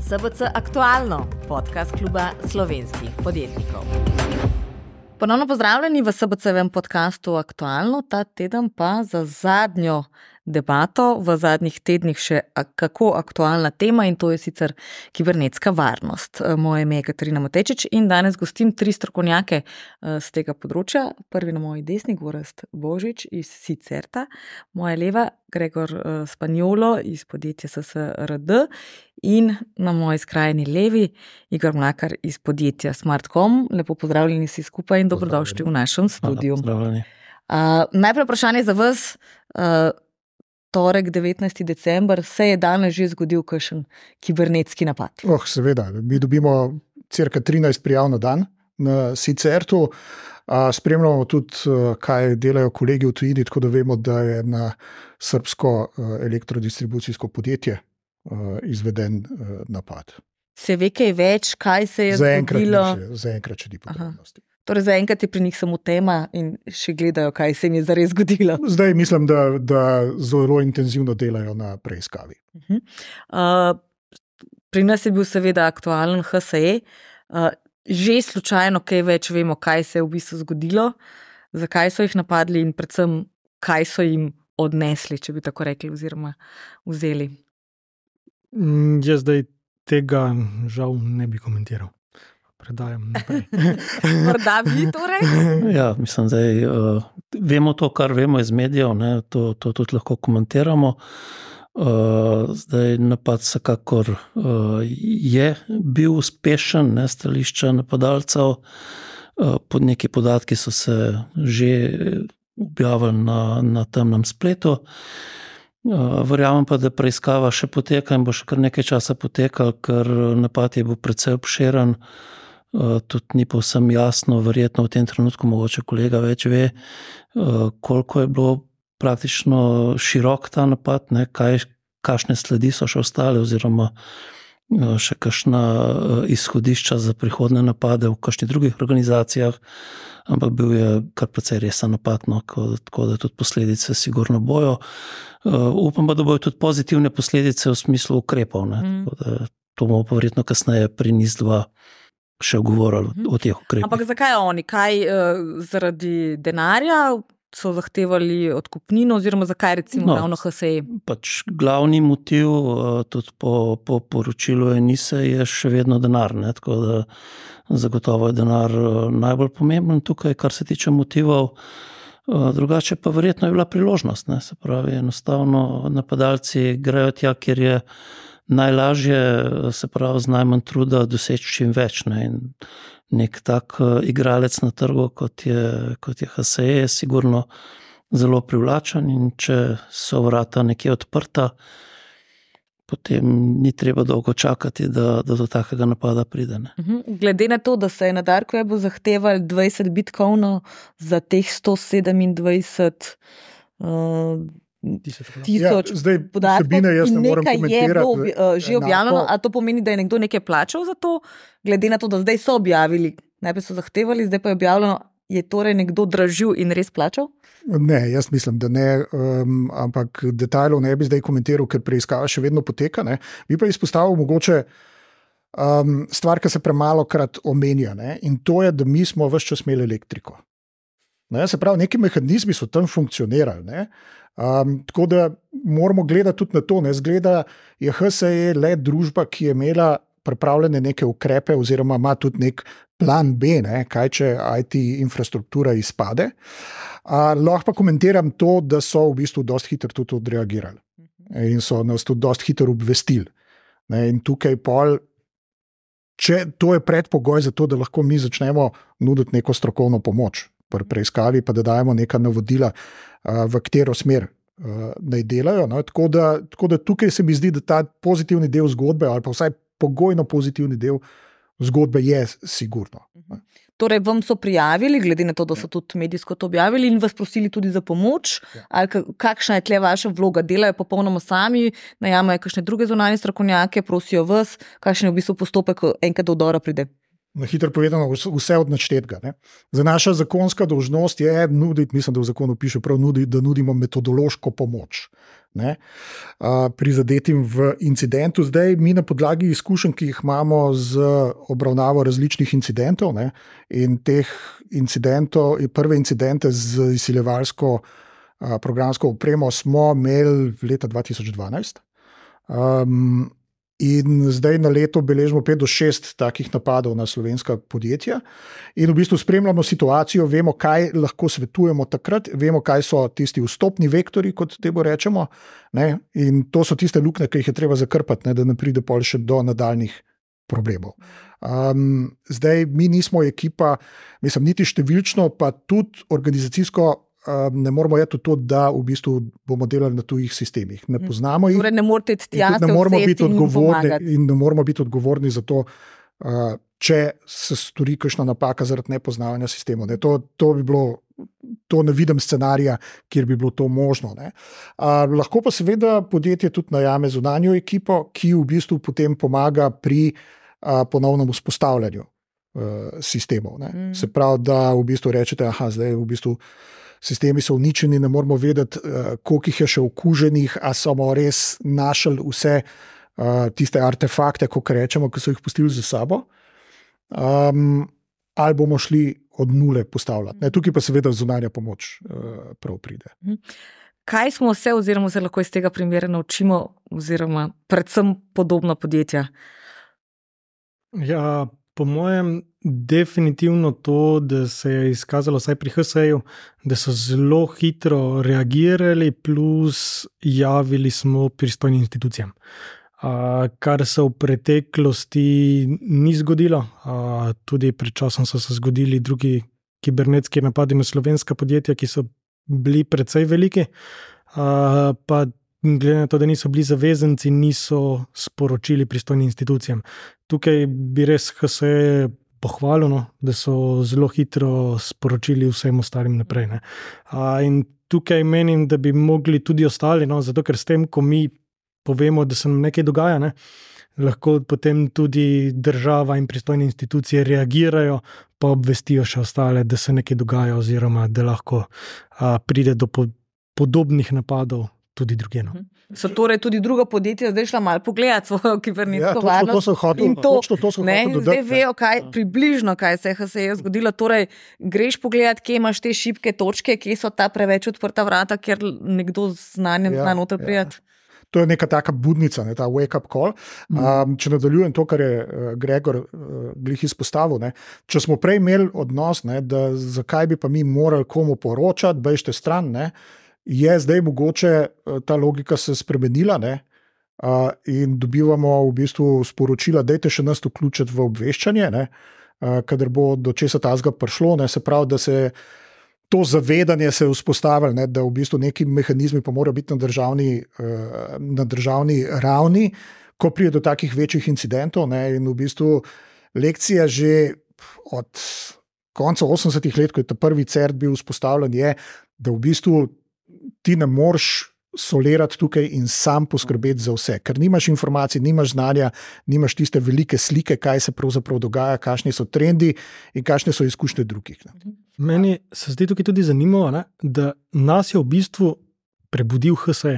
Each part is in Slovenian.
SBC Aktualno, podcast kluba slovenskih podjetnikov. Ponovno pozdravljeni v SBC-vem podcastu Aktualno, ta teden pa za zadnjo debato v zadnjih tednih še kako aktualna tema in to je sicer kibernetska varnost. Moje ime je Katarina Matečič in danes gostim 3 strokovnjake z tega področja. Prvi na moji desni, Gorazd Božič iz Sicerta, moja leva Gregor Spanjolo iz podjetja SSRD in na moji skrajni levi Igor Mlakar iz podjetja Smartcom. Lepo pozdravljeni vsi skupaj in dobrodošli v našem studiu. Najprej vprašanje za vas. Torek, 19. december, se je danes že zgodil kakšen kibernetski napad? Seveda, mi dobimo cirka 13 prijav na dan na Sicertu. Spremljamo tudi, kaj delajo kolegi v tujini, tako da vemo, da je na srbsko elektrodistribucijsko podjetje izveden napad. Se ve kaj več, kaj se je zgodilo? Zaenkrat še ni podrobnosti. Torej zaenkrat je pri njih samo tema in še gledajo, kaj se jim je zares zgodilo. Zdaj mislim, da zelo intenzivno delajo na preiskavi. Pri nas je bil seveda aktualen HSE. Že slučajno kaj več vemo, kaj se je v bistvu zgodilo, zakaj so jih napadli in predvsem, kaj so jim odnesli, če bi tako rekli, oziroma vzeli. Jaz zdaj tega žal ne bi komentiral. Predajam naprej. Morda vi torej? Ja, mislim, da vemo to, kar vemo iz medijev, ne, to tudi lahko komentiramo. Zdaj napad vsekakor je bil uspešen, ne, stališča napadalcev. Pod neki podatki so se že objavili na temnem spletu. Verjamem pa, da preiskava še poteka in bo še kar nekaj časa potekal, ker napad je bil precej obširen. Tudi ni povsem jasno, verjetno v tem trenutku mogoče kolega več ve, koliko je bilo praktično širok ta napad, ne, kakšne sledi so še ostale oziroma še kakšna izhodišča za prihodne napade v kakšnih drugih organizacijah, ampak bil je kar precej resen napad, no, tako da tudi posledice sigurno bojo. Upam pa, da bojo tudi pozitivne posledice v smislu ukrepov, ne, tako da to bomo pa verjetno kasneje pri NIS-2 še govorili o teh ukrepih. Ampak zakaj oni? Kaj zaradi denarja so zahtevali odkupnino oziroma zakaj recimo ravno HSE? Pač glavni motiv tudi po poročilu NIS-a je še vedno denar, ne? Tako da zagotovo je denar najbolj pomemben tukaj, kar se tiče motivov. Drugače pa verjetno je bila priložnost, ne? Se pravi, enostavno napadalci grejo tja, kjer je najlažje, se pravi, z najmanj truda doseči čim več, ne? In nek tak igralec na trgu, kot je HSE, je sigurno zelo privlačen in če so vrata nekje odprta, potem ni treba dolgo čakati, da do takega napada pride. Ne? Glede na to, da se je na Dark Webu zahtevali 20 bitcoinov za teh 127 tisoč podatkov in nekaj je bilo že objavljeno, a to pomeni, da je nekdo nekaj plačal za to, glede na to, da zdaj so objavili, najprej so zahtevali, zdaj pa je objavljeno, je torej nekdo dražil in res plačal? Ne, jaz mislim, da ne, ampak detajlov ne bi zdaj komentiral, ker preiskava še vedno poteka, ne. Bi pa izpostavil mogoče stvar, ki se premalokrat omenja, ne, in to je, da mi smo ves čas imeli elektriko. Ne, se pravi, neki mehanizmi so tam funkcionirali, ne. Tako da moramo gledati tudi na to, ne, zgleda je HSE le družba, ki je imela pripravljene neke ukrepe oziroma ima tudi nek plan B, ne, kaj če IT infrastruktura izpade. Lahko pa komentiram to, da so v bistvu dosti hitro tudi odreagirali in so nas tudi dosti hitro obvestili. Ne, in tukaj pol, če to je predpogoj za to, da lahko mi začnemo nuditi neko strokovno pomoč pri preiskavi, pa da dajemo neka navodila, v katero smer naj delajo. No? Tako da tukaj se mi zdi, da ta pozitivni del zgodbe, ali pa vsaj pogojno pozitivni del zgodbe je sigurno. Torej, vam so prijavili, glede na to, da so tudi medijsko to objavili in vas prosili tudi za pomoč, ali kakšna je tle vaša vloga? Delajo popolnoma sami, najamajo kakšne druge zunanje strokovnjake, prosijo vas, kakšen je v bistvu postopek, enkrat do vdora pride? Na hitro povedano, vse od naštetega. Za naša zakonska dolžnost je nuditi, mislim, da v zakonu piše prav nuditi, da nudimo metodološko pomoč prizadetim v incidentu. Zdaj mi na podlagi izkušenj, ki jih imamo z obravnavo različnih incidentov in teh incidentov, prve incidente z izsiljevalsko programsko opremo smo imeli leta 2012. In zdaj na leto beležimo 5 do 6 takih napadov na slovenska podjetja in v bistvu spremljamo situacijo, vemo, kaj lahko svetujemo takrat, vemo, kaj so tisti vstopni vektori, kot temu rečemo, in to so tiste luknje, ki jih je treba zakrpati, da ne pride pol še do nadaljnih problemov. Zdaj mi nismo ekipa, mislim, niti številčno, pa tudi organizacijsko ne moramo jeti v to, da v bistvu bomo delali na tujih sistemih. Ne poznamo jih. Torej ne morate tja ne moramo biti odgovorni in ne moramo biti odgovorni za to, če se stori kakšna napaka zaradi nepoznavanja sistemov. To bi bilo, to ne vidim scenarija, kjer bi bilo to možno. Lahko pa seveda podjetje tudi najame zunanjo ekipo, ki v bistvu potem pomaga pri ponovnem vzpostavljanju sistemov. Se pravi, da v bistvu rečete, zdaj v bistvu sistemi so uničeni, ne moramo vedeti, koliko jih je še okuženih, a smo res našli vse tiste artefakte, kot rečemo, ki so jih pustili za sabo, ali bomo šli od nule postavljati. Tukaj pa seveda zunanja pomoč prav pride. Kaj smo se lahko iz tega primera naučimo, oziroma predvsem podobna podjetja? Ja, po mojem definitivno to, da se je izkazalo vsaj pri HSE-ju, da so zelo hitro reagirali, plus javili smo pristojnim institucijam. Kar se v preteklosti ni zgodilo, tudi pred časom so se zgodili drugi kibernetski napadi na slovenska podjetja, ki so bili precej veliki, pa glede na to, da niso bili zavezanci, niso sporočili pristojnim institucijam. Tukaj bi res HSE pohvalil, da so zelo hitro sporočili vsem ostalim naprej. In tukaj menim, da bi mogli tudi ostali, zato ker s tem, ko mi povemo, da se nam nekaj dogaja, lahko potem tudi država in pristojne institucije reagirajo, pa obvestijo še ostale, da se nekaj dogaja, oziroma da lahko pride do podobnih napadov tudi drugje. So torej tudi druga podjetja zdaj šla malo pogledati svojo kibernetsko varnost. To so hoteli dodati. Zdaj vejo, približno, kaj se je zgodilo. Torej, greš pogledati, kje imaš te šibke točke, kje so ta preveč odprta vrata, ker nekdo z znanjem zna noter prijeti. To je neka taka budnica, ta wake-up call. Če nadaljujem to, kar je Gregor glih izpostavil, če smo prej imeli odnos, da zakaj bi pa mi morali komu poročati, bežite stran, je zdaj mogoče ta logika se spremenila in dobivamo v bistvu sporočila, dajte še nas vključiti v obveščanje, kadar bo do česa tazga prišlo, se pravi, da se to zavedanje se je vzpostavilo, da v bistvu neki mehanizmi pa morajo biti na državni ravni, ko pride do takih večjih incidentov, in v bistvu lekcija že od konca 80-ih let, ko je ta prvi CERT bil vzpostavljen, je, da v bistvu ti ne moreš solirati tukaj in sam poskrbeti za vse, ker nimaš informacij, nimaš znanja, nimaš tiste velike slike, kaj se pravzaprav dogaja, kakšni so trendi in kakšne so izkušnje drugih. Meni se zdi tukaj tudi zanimivo, da nas je v bistvu prebudil HSE.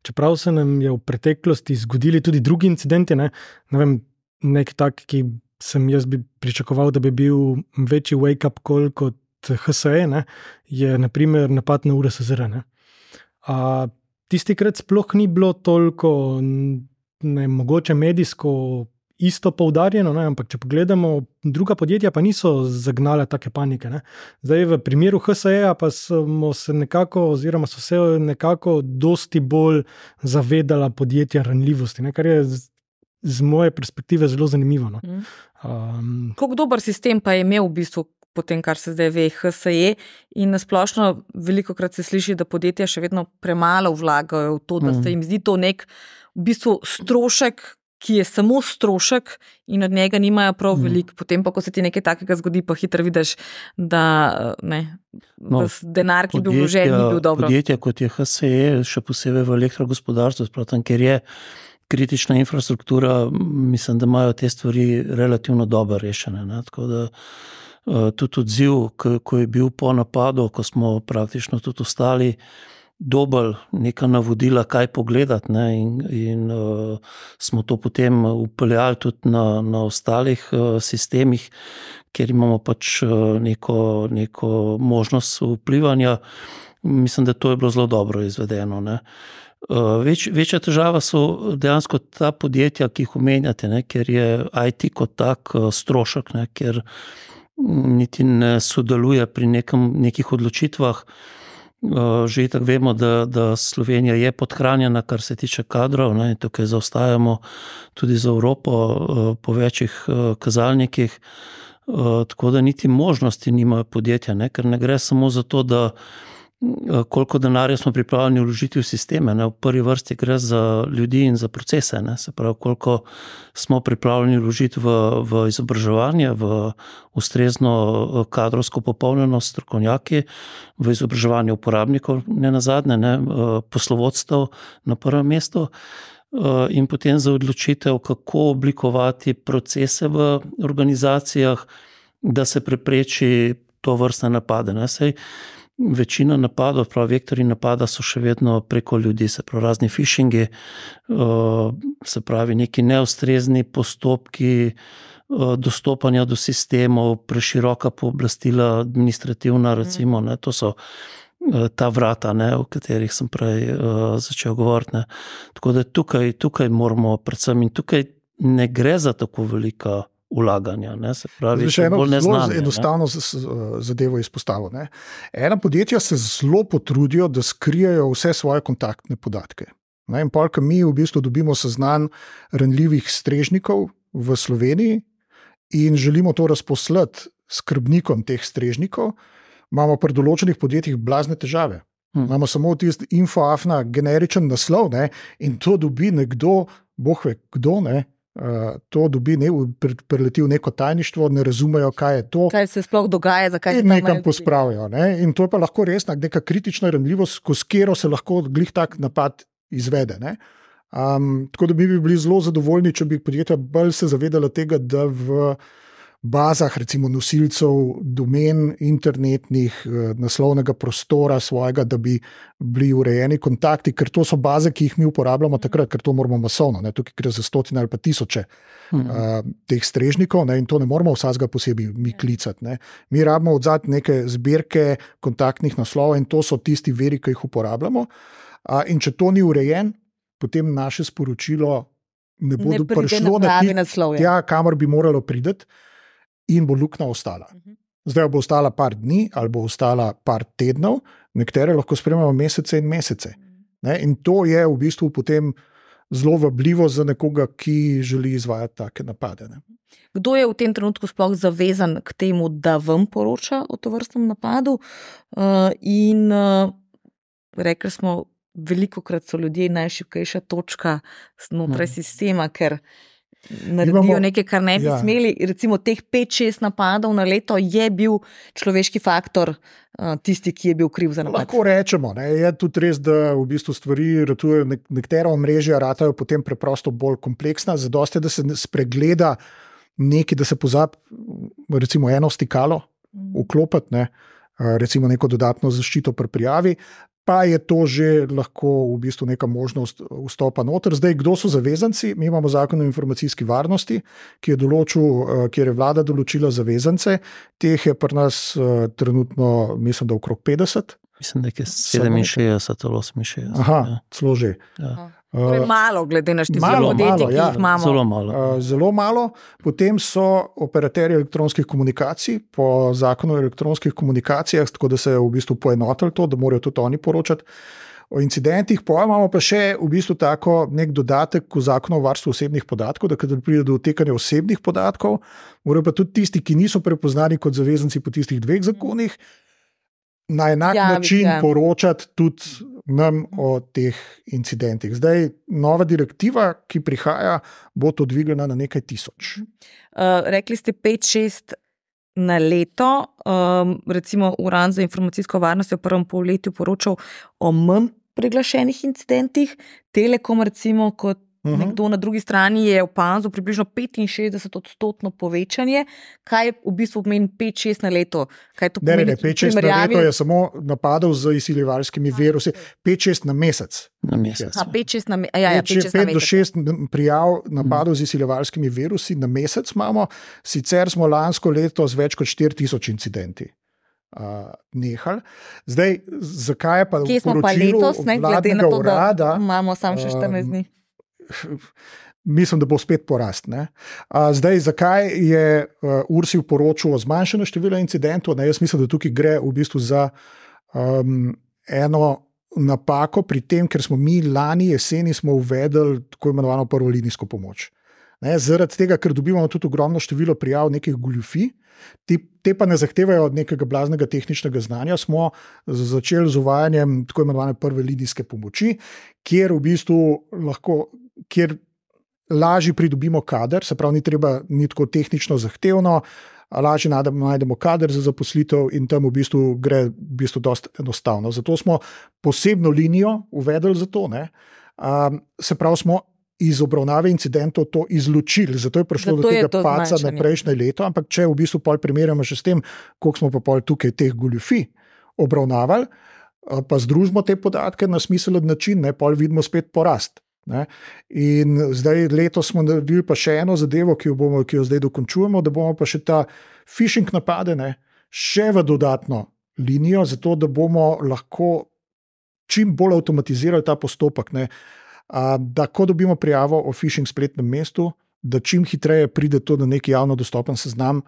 Čeprav se nam je v preteklosti zgodili tudi drugi incidenti, ne vem, nek tak, ki sem jaz bi pričakoval, da bi bil večji wake-up call kot HSE, je na primer napad na URSSR. Tistikrat sploh ni bilo toliko mogoče medijsko isto poudarjeno, ampak če pogledamo, druga podjetja pa niso zagnala take panike. Zdaj v primeru HSE-ja pa smo se nekako, oziroma so se nekako dosti bolj zavedala podjetja ranljivosti, kar je z moje perspektive zelo zanimivo. Kako dober sistem pa je imel v bistvu potem, kar se zdaj ve, HSE, in nasplošno velikokrat se sliši, da podjetja še vedno premalo vlagajo v to, da se jim zdi to nek v bistvu strošek, ki je samo strošek in od njega nimajo prav veliko. Potem pa, ko se ti nekaj takega zgodi, pa hitro vidiš, da denar, ki bi bil vložen, ni bil dobro. Podjetja, kot je HSE, še posebej v elektrogospodarstvu, kritična infrastruktura, mislim, da imajo te stvari relativno dobro rešene. Ne? Tako da tudi odziv, ko je bil po napadu, ko smo praktično tudi ostali, dobili neka navodila, kaj pogledati, ne? In smo to potem upeljali tudi na ostalih sistemih, kjer imamo pač neko možnost vplivanja. Mislim, da to je bilo zelo dobro izvedeno. Ne? Večja težava so dejansko ta podjetja, ki jih omenjate, ne? Ker je IT kot tak strošek, ne? Ker niti ne sodeluje pri nekih odločitvah. Že tako vemo, da Slovenija je podhranjena, kar se tiče kadrov, ne? Tukaj zaostajamo tudi za Evropo po večjih kazalnikih, tako da niti možnosti nimajo podjetja, ne? Ker ne gre samo za to, da koliko denarja smo pripravljeni vložiti v sisteme. Ne? V prvi vrsti gre za ljudi in za procese. Ne? Se pravi, koliko smo pripravljeni vložiti v izobraževanje, v ustrezno kadrovsko popolnjenost strokovnjaki, v izobraževanje uporabnikov, ne nazadnje, ne? Poslovodstev na prvem mestu, in potem za odločitev, kako oblikovati procese v organizacijah, da se prepreči to vrstne napade. Ne? Sej večina napadov, pravi vektori napada, so še vedno preko ljudi, se pravi razni phishingi, se pravi neki neustrezni postopki dostopanja do sistemov, preširoka pooblastila administrativna, recimo, ne, to so ta vrata, ne, o katerih sem prej začel govoriti. Ne. Tako da tukaj moramo predvsem, in tukaj ne gre za tako velika ulaganja, ne, se pravi, še eno bolj neznanje. Enostavno zadevo izpostavil. Ne. Ena podjetja se zelo potrudijo, da skrijejo vse svoje kontaktne podatke. Ne, in polk mi v bistvu dobimo seznam ranljivih strežnikov v Sloveniji in želimo to razposlati skrbnikom teh strežnikov, imamo pri določenih podjetjih blazne težave. Imamo samo tisti infoafna generičen naslov, ne, in to dobi nekdo, boh ve kdo, ne, to dobi, preleti v neko tajništvo, ne razumejo, kaj je to. Kaj se sploh dogaja, zakaj se tam nekam pospravijo. Ne? In to je pa lahko res neka kritična ranljivost, s katero se lahko glih tak napad izvede. Ne? Tako da bi bili zelo zadovoljni, če bi podjetja bolj se zavedala tega, da v bazah, recimo nosilcev domen internetnih, naslovnega prostora svojega, da bi bili urejeni kontakti, ker to so baze, ki jih mi uporabljamo takrat, ker to moramo masovno, ne, tukaj gre za stotine ali pa tisoče teh strežnikov, ne, in to ne moramo vsakega posebej mi klicati. Ne. Mi rabimo odzad neke zbirke kontaktnih naslovov in to so tisti viri, ki jih uporabljamo. In če to ni urejen, potem naše sporočilo ne bo prišlo na tja, kamor bi moralo priti, in bo luknja ostala. Zdaj bo ostala par dni ali bo ostala par tednov, nekatere lahko spremljamo mesece in mesece. Ne? In to je v bistvu potem zelo vabljivo za nekoga, ki želi izvajati take napade. Ne? Kdo je v tem trenutku sploh zavezan k temu, da vam poroča o tovrstnem napadu? In rekli smo, velikokrat so ljudje najšibkejša točka znotraj sistema, ker naredijo nekaj, kar ne bi smeli. Recimo teh 5-6 napadov na leto je bil človeški faktor tisti, ki je bil kriv za napad. Lahko rečemo, ne? Je tudi res, da v bistvu stvari ratujejo, nekatera omrežja ratajo potem preprosto bolj kompleksna, zadosti, da se spregleda nekaj, da se pozabi recimo eno stikalo vklopiti, ne? Recimo neko dodatno zaščito pri prijavi, pa je to že lahko v bistvu neka možnost vstopa noter. Zdaj, kdo so zavezanci? Mi imamo zakon o informacijski varnosti, ki je določil, kjer je vlada določila zavezance. Teh je pri nas trenutno, mislim, da okrog 50. Mislim, da je 67 ali 68. Aha, celo že. Ja. Malo, glede na število podjetij, ki jih imamo. Zelo malo. Zelo malo. Potem so operaterji elektronskih komunikacij po zakonu o elektronskih komunikacijah, tako da se je v bistvu poenotili to, da morajo tudi oni poročati o incidentih. Imamo pa še v bistvu tako nek dodatek v zakonu o varstvu osebnih podatkov, da kadar pride do odtekanja osebnih podatkov, morajo pa tudi tisti, ki niso prepoznani kot zavezanci po tistih dveh zakonih, na enak način poročati tudi nam o teh incidentih. Zdaj, nova direktiva, ki prihaja, bo to dvigana na nekaj tisoč. Rekli ste 5-6 na leto. Recimo Urad za informacijsko varnost je v prvem polletju poročal o manj priglašenih incidentih. Telekom recimo kot nekdo na drugi strani je opazil približno 65% povečanje. Kaj v bistvu pomeni 5-6 na leto? Kaj to pomeni? Ne, 5-6 na leto je samo napadov z izsiljevalskimi virusi, 5-6 na mesec. Na mesec. 5-6 na mesec. 5 do 6 prijav napadov z izsiljevalskimi virusi na mesec imamo, sicer smo lansko leto z več kot 4000 incidenti nehali. Zdaj, zakaj je pa v poročilu vladnega urada? Imamo samo še 14 dni. Mislim, da bo spet porast. Zdaj, zakaj je URSIV poročal o zmanjšanju števila incidentov? Jaz mislim, da tukaj gre v bistvu za eno napako pri tem, ker smo mi lani jeseni smo uvedli tako imenovano prvolinijsko pomoč. Zaradi tega, ker dobivamo tudi ogromno število prijav nekih goljufij, te pa ne zahtevajo od nekega blaznega tehničnega znanja, smo začeli z uvajanjem tako imenovane prve linijske pomoči, kjer v bistvu kjer lažje pridobimo kader, se pravi, ni tako tehnično zahtevno, lažje najdemo kader za zaposlitev in tam v bistvu gre dosti enostavno. Zato smo posebno linijo uvedli za to. Se pravi, smo iz obravnave incidentov to izločili, zato je prišlo do tega paca na prejšnje leto, ampak če v bistvu pol primerjamo še s tem, koliko smo pa pol tukaj teh goljufij obravnavali, pa združimo te podatke na smiselen način, pol vidimo spet porast. In zdaj letos smo naredili pa še eno zadevo, ki jo zdaj dokončujemo, da bomo pa še ta phishing napade še v dodatno linijo, zato da bomo lahko čim bolj avtomatizirali ta postopek, da ko dobimo prijavo o phishing spletnem mestu, da čim hitreje pride to na neki javno dostopen seznam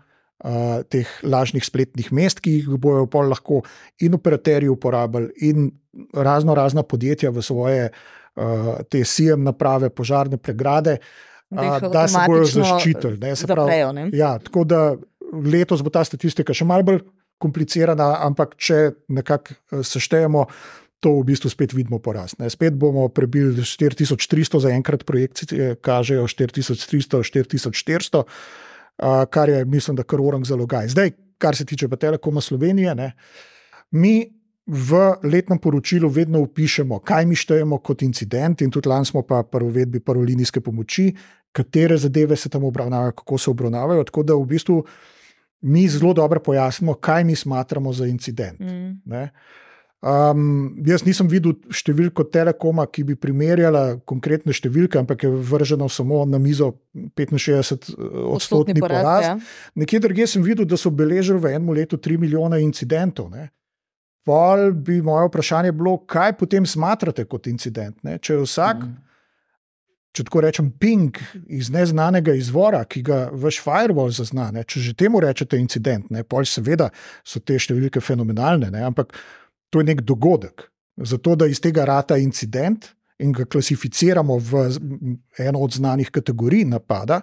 teh lažnih spletnih mest, ki jih bojo pol lahko in operaterji uporabili in razna podjetja v svoje te SIEM naprave, požarne pregrade, da se bojo zaščitili. Tako da letos bo ta statistika še malo bolj komplicirana, ampak če nekako seštejemo, to v bistvu spet vidimo porast. Spet bomo prebili 4300, zaenkrat projekcije kažejo 4300, 4400, kar je, mislim, da kar orang zalogaj. Zdaj, kar se tiče pa Telekoma Slovenije, mi v letnem poročilu vedno vpišemo, kaj mi štejemo kot incident in tudi lani smo pa pri uvedbi prvolinijske pomoči, katere zadeve se tam obravnavajo, kako se obravnavajo, tako da v bistvu mi zelo dobro pojasnimo, kaj mi smatramo za incident. Jaz nisem videl številko Telekoma, ki bi primerjala konkretne številke, ampak je vrženo samo na mizo 65% porast. Nekje drugje sem videl, da so beležili v enem letu 3 milijone incidentov. Pol bi moje vprašanje bilo, kaj potem smatrate kot incident? Če je vsak, če tako rečem, ping iz neznanega izvora, ki ga vaš firewall zazna, če že temu rečete incident, pol seveda so te številke fenomenalne, ampak to je nek dogodek. Zato, da iz tega rata incident in ga klasificiramo v eno od znanih kategorij napada,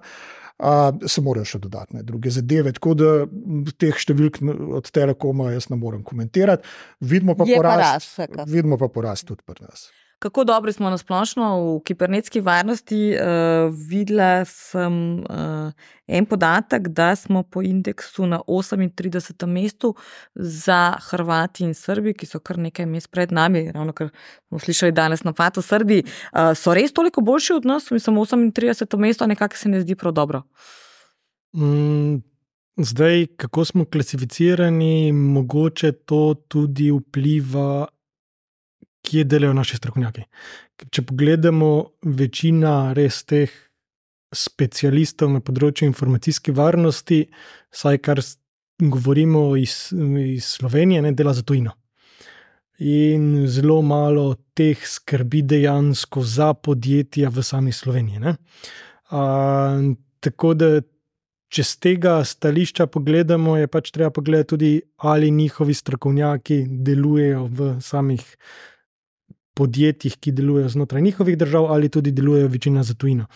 se morajo še dodatne druge zadeve. Tako da teh številk od Telekoma jaz ne morem komentirati. Vidimo pa porast tudi pri nas. Kako dobri smo na splošno v kibernetski varnosti? Videla sem en podatek, da smo po indeksu na 38. mestu za Hrvati in Srbi, ki so kar nekaj mest pred nami, ravno kar smo slišali danes napad v Srbiji. So res toliko boljši od nas? Mislim, 38. mesto nekako se ne zdi prav dobro. Zdaj, kako smo klasificirani, mogoče to tudi vpliva, kje delajo naši strokovnjaki. Če pogledamo, večina res teh specialistov na področju informacijske varnosti, saj kar govorimo iz Slovenije, dela za tujino. In zelo malo teh skrbi dejansko za podjetja v sami Sloveniji. Tako da, če z tega stališča pogledamo, je pač treba pogledati tudi, ali njihovi strokovnjaki delujejo v samih podjetjih, ki delujejo znotraj njihovih držav, ali tudi delujejo večina za tujino.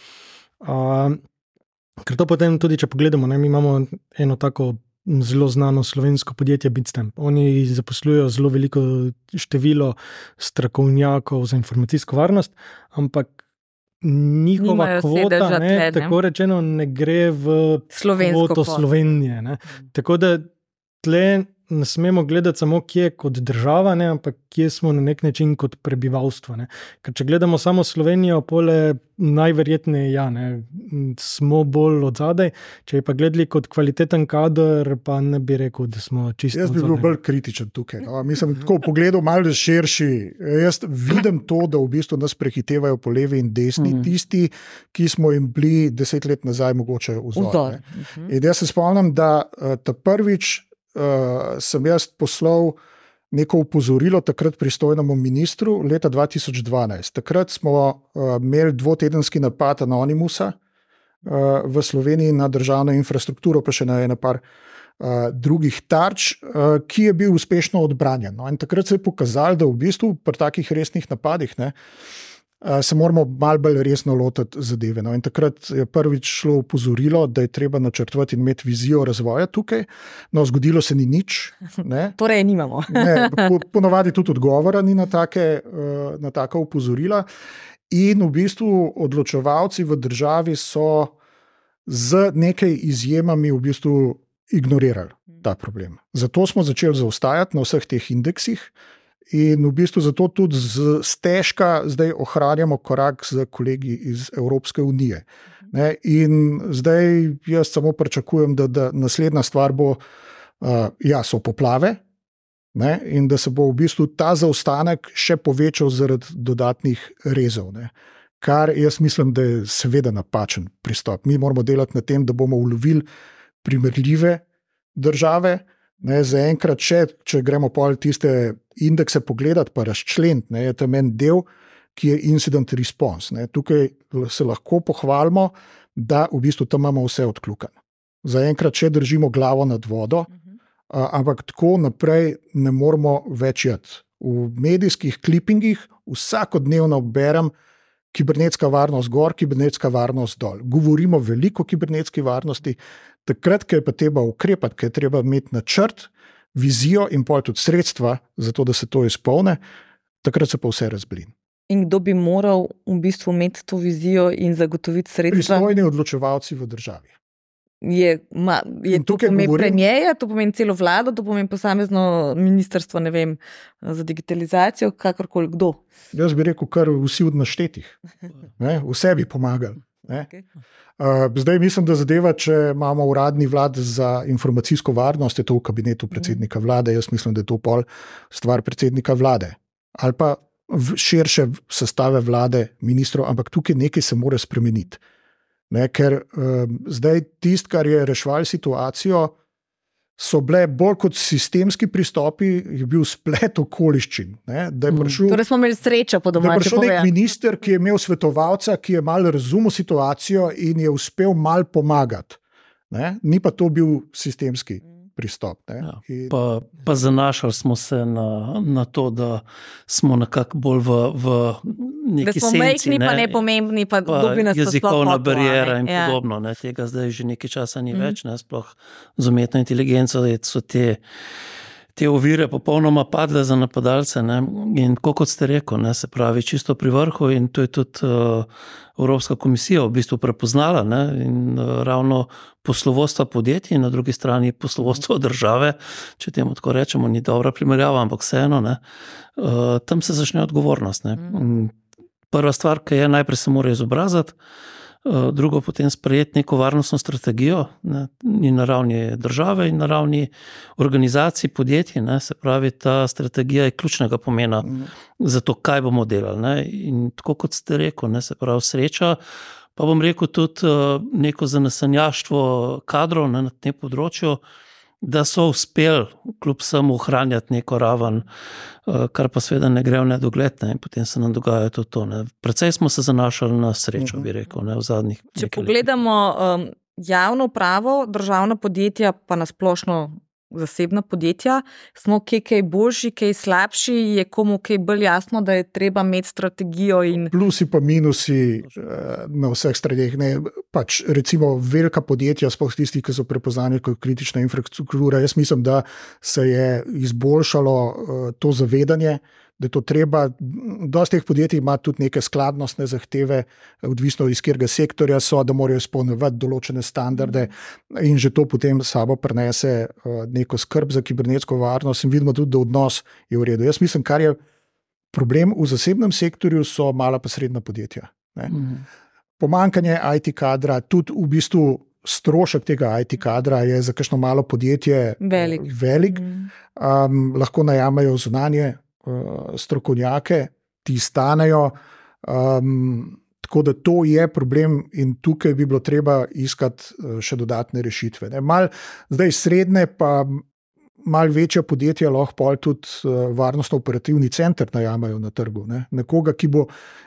Ker to potem tudi, če pogledamo, mi imamo eno tako zelo znano slovensko podjetje Bitstamp. Oni zaposlujejo zelo veliko število strokovnjakov za informacijsko varnost, ampak njihova kvota, tako rečeno, ne gre v kvoto Slovenije. Tako da tle ne smemo gledati samo, kje kot država, ne, ampak kje smo na nek način kot prebivalstvo. Ne. Ker če gledamo samo Slovenijo, pole najverjetneje smo bolj odzadaj. Če pa gledali kot kvaliteten kader, pa ne bi rekel, da smo čisto odzadaj. Jaz bi bil bolj kritičen tukaj. No. Mislim, tako pogledal malo širši. Jaz vidim to, da v bistvu nas prehitevajo po levi in desni tisti, ki smo jim bili 10 let nazaj mogoče vzor. In jaz se spomnim, da ta prvič sem jaz poslal neko upozorilo takrat pristojnemu ministru leta 2012. Takrat smo imeli dvotedenski napad Anonymusa v Sloveniji na državno infrastrukturo, pa še na ene par drugih tarč, ki je bil uspešno odbranjen. No, in takrat se je pokazalo, da v bistvu pri takih resnih napadih se moramo malo bolj resno lotiti zadeve. No, in takrat je prvič šlo upozorilo, da je treba načrtovati in imeti vizijo razvoja tukaj. No, zgodilo se ni nič. Ne. Torej nimamo. Ponovadi tudi odgovora ni na taka upozorila. In v bistvu odločevalci v državi so z nekaj izjemami v bistvu ignorirali ta problem. Zato smo začeli zaostajati na vseh teh indeksih. In v bistvu zato tudi stežka zdaj ohranjamo korak z kolegi iz Evropske unije. Ne? In zdaj jaz samo pričakujem, da naslednja stvar bo, so poplave, ne? In da se bo v bistvu ta zaostanek še povečal zaradi dodatnih rezov. Ne? Kar jaz mislim, da je seveda napačen pristop. Mi moramo delati na tem, da bomo ulovili primerljive države. Ne, zaenkrat, če gremo pol tiste indekse pogledati, pa razčleniti, je tam en del, ki je incident response. Ne. Tukaj se lahko pohvalimo, da v bistvu tam imamo vse odkljukano. Zaenkrat še držimo glavo nad vodo, ampak tako naprej ne moramo več jeti. V medijskih klipingih vsakodnevno berem kibernetska varnost gor, kibernetska varnost dol. Govorimo veliko o kibernetski varnosti, takrat, ko je pa treba ukrepati, ko je treba imeti načrt, vizijo in pol tudi sredstva, zato da se to izpolne, takrat se pa vse razblin. In kdo bi moral v bistvu imeti to vizijo in zagotoviti sredstva? Pristojni odločevalci v državi. To pomeni premijerja, to pomeni celo vlado, to pomeni posamezno ministrstvo, ne vem, za digitalizacijo, kakorkoli kdo? Jaz bi rekel, kar vsi od naštetih. Vse bi pomagali. Okay. Zdaj mislim, da zadeva, če imamo uradni vlad za informacijsko varnost, je to v kabinetu predsednika vlade, jaz mislim, da je to pol stvar predsednika vlade. Ali pa širše sestave vlade, ministrov, ampak tukaj nekaj se mora spremeniti. Ne, ker zdaj tisto, kar je reševalo situacijo, so bile bolj kot sistemski pristopi, je bil splet okoliščin. Ne, da je prišel, torej smo imeli srečo po domače. Da je prišel nek minister, ki je imel svetovalca, ki je malo razumel situacijo in je uspel malo pomagati. Ne, ni pa to bil sistemski pristop. Ne. Ja, pa zanašali smo se na to, da smo nekako bolj v neki senci. Da smo mehni, pa nepomembni, pa dobi nas jezikovna barijera in podobno. Ne. Tega zdaj že nekaj časa ni več, ne. Sploh z umetno inteligenco so te ovire popolnoma padle za napadalce. Ne. In kot ste rekel, ne, se pravi čisto pri vrhu in to je tudi Evropska komisija v bistvu prepoznala, ne, in ravno poslovodstva podjetij in na drugi strani poslovodstva države, če temu tako rečemo, ni dobra primerjava, ampak vseeno, ne, tam se začne odgovornost. Ne. Prva stvar, ki je, najprej se mora izobraziti, drugo potem sprejeti neko varnostno strategijo, ne, in na ravni države in na ravni organizacij podjetij, ne, se pravi, ta strategija je ključnega pomena za to, kaj bomo delali. Ne. In tako kot ste rekel, ne, se pravi sreča, pa bom rekel tudi neko zanesenjaštvo kadrov, ne, na tem področju, da so uspeli kljub vsemu ohranjati neko raven, kar pa seveda ne gre v nedogled, ne, in potem se nam dogaja tudi to. Ne. Precej smo se zanašali na srečo, bi rekel, ne, v zadnjih nekaj letih. Če pogledamo javno upravo, državna podjetja, pa nasplošno zasebna podjetja, smo kaj boljši, kaj slabši, je komu kaj bolj jasno, da je treba imeti strategijo in... Plusi pa minusi na vseh straneh. Pač recimo velika podjetja, sploh tisti, ki so prepoznani kot kritična infrastruktura, jaz mislim, da se je izboljšalo to zavedanje da je to treba. Dosti teh podjetij ima tudi neke skladnostne zahteve, odvisno iz katerega sektorja so, da morajo izpolnjevati določene standarde in že to potem sabo prinese neko skrb za kibernetsko varnost in vidimo tudi, da odnos je v redu. Jaz mislim, kar je problem v zasebnem sektorju, so mala pa srednja podjetja. Pomanjkanje IT kadra, tudi v bistvu strošek tega IT kadra je za kakšno malo podjetje velik. Lahko najamejo zunanje strokovnjake, ti stanejo. Tako da to je problem in tukaj bi bilo treba iskati še dodatne rešitve. Zdaj srednje pa malo večja podjetja lahko tudi varnostno-operativni center najamejo na trgu. Nekoga, ki bo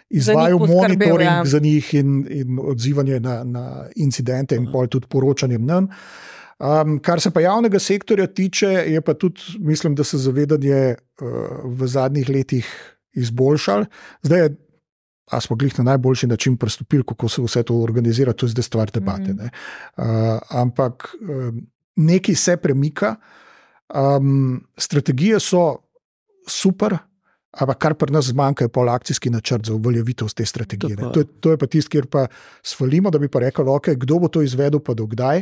izvajal monitoring za njih in odzivanje na incidente in pol tudi poročanjem nam. Kar se pa javnega sektorja tiče, je pa tudi, mislim, da se zavedanje v zadnjih letih izboljšalo. Zdaj je, a smo glih na najboljši način pristopili, kako se vse to organizira, to je zdaj stvar debate. Ampak nekaj se premika. Strategije so super, ampak kar pri nas zmanjka je pol akcijski načrt za uveljavitev te strategije. To je pa tisto, kjer pa svalimo, da bi pa rekel, okay, kdo bo to izvedel pa do kdaj.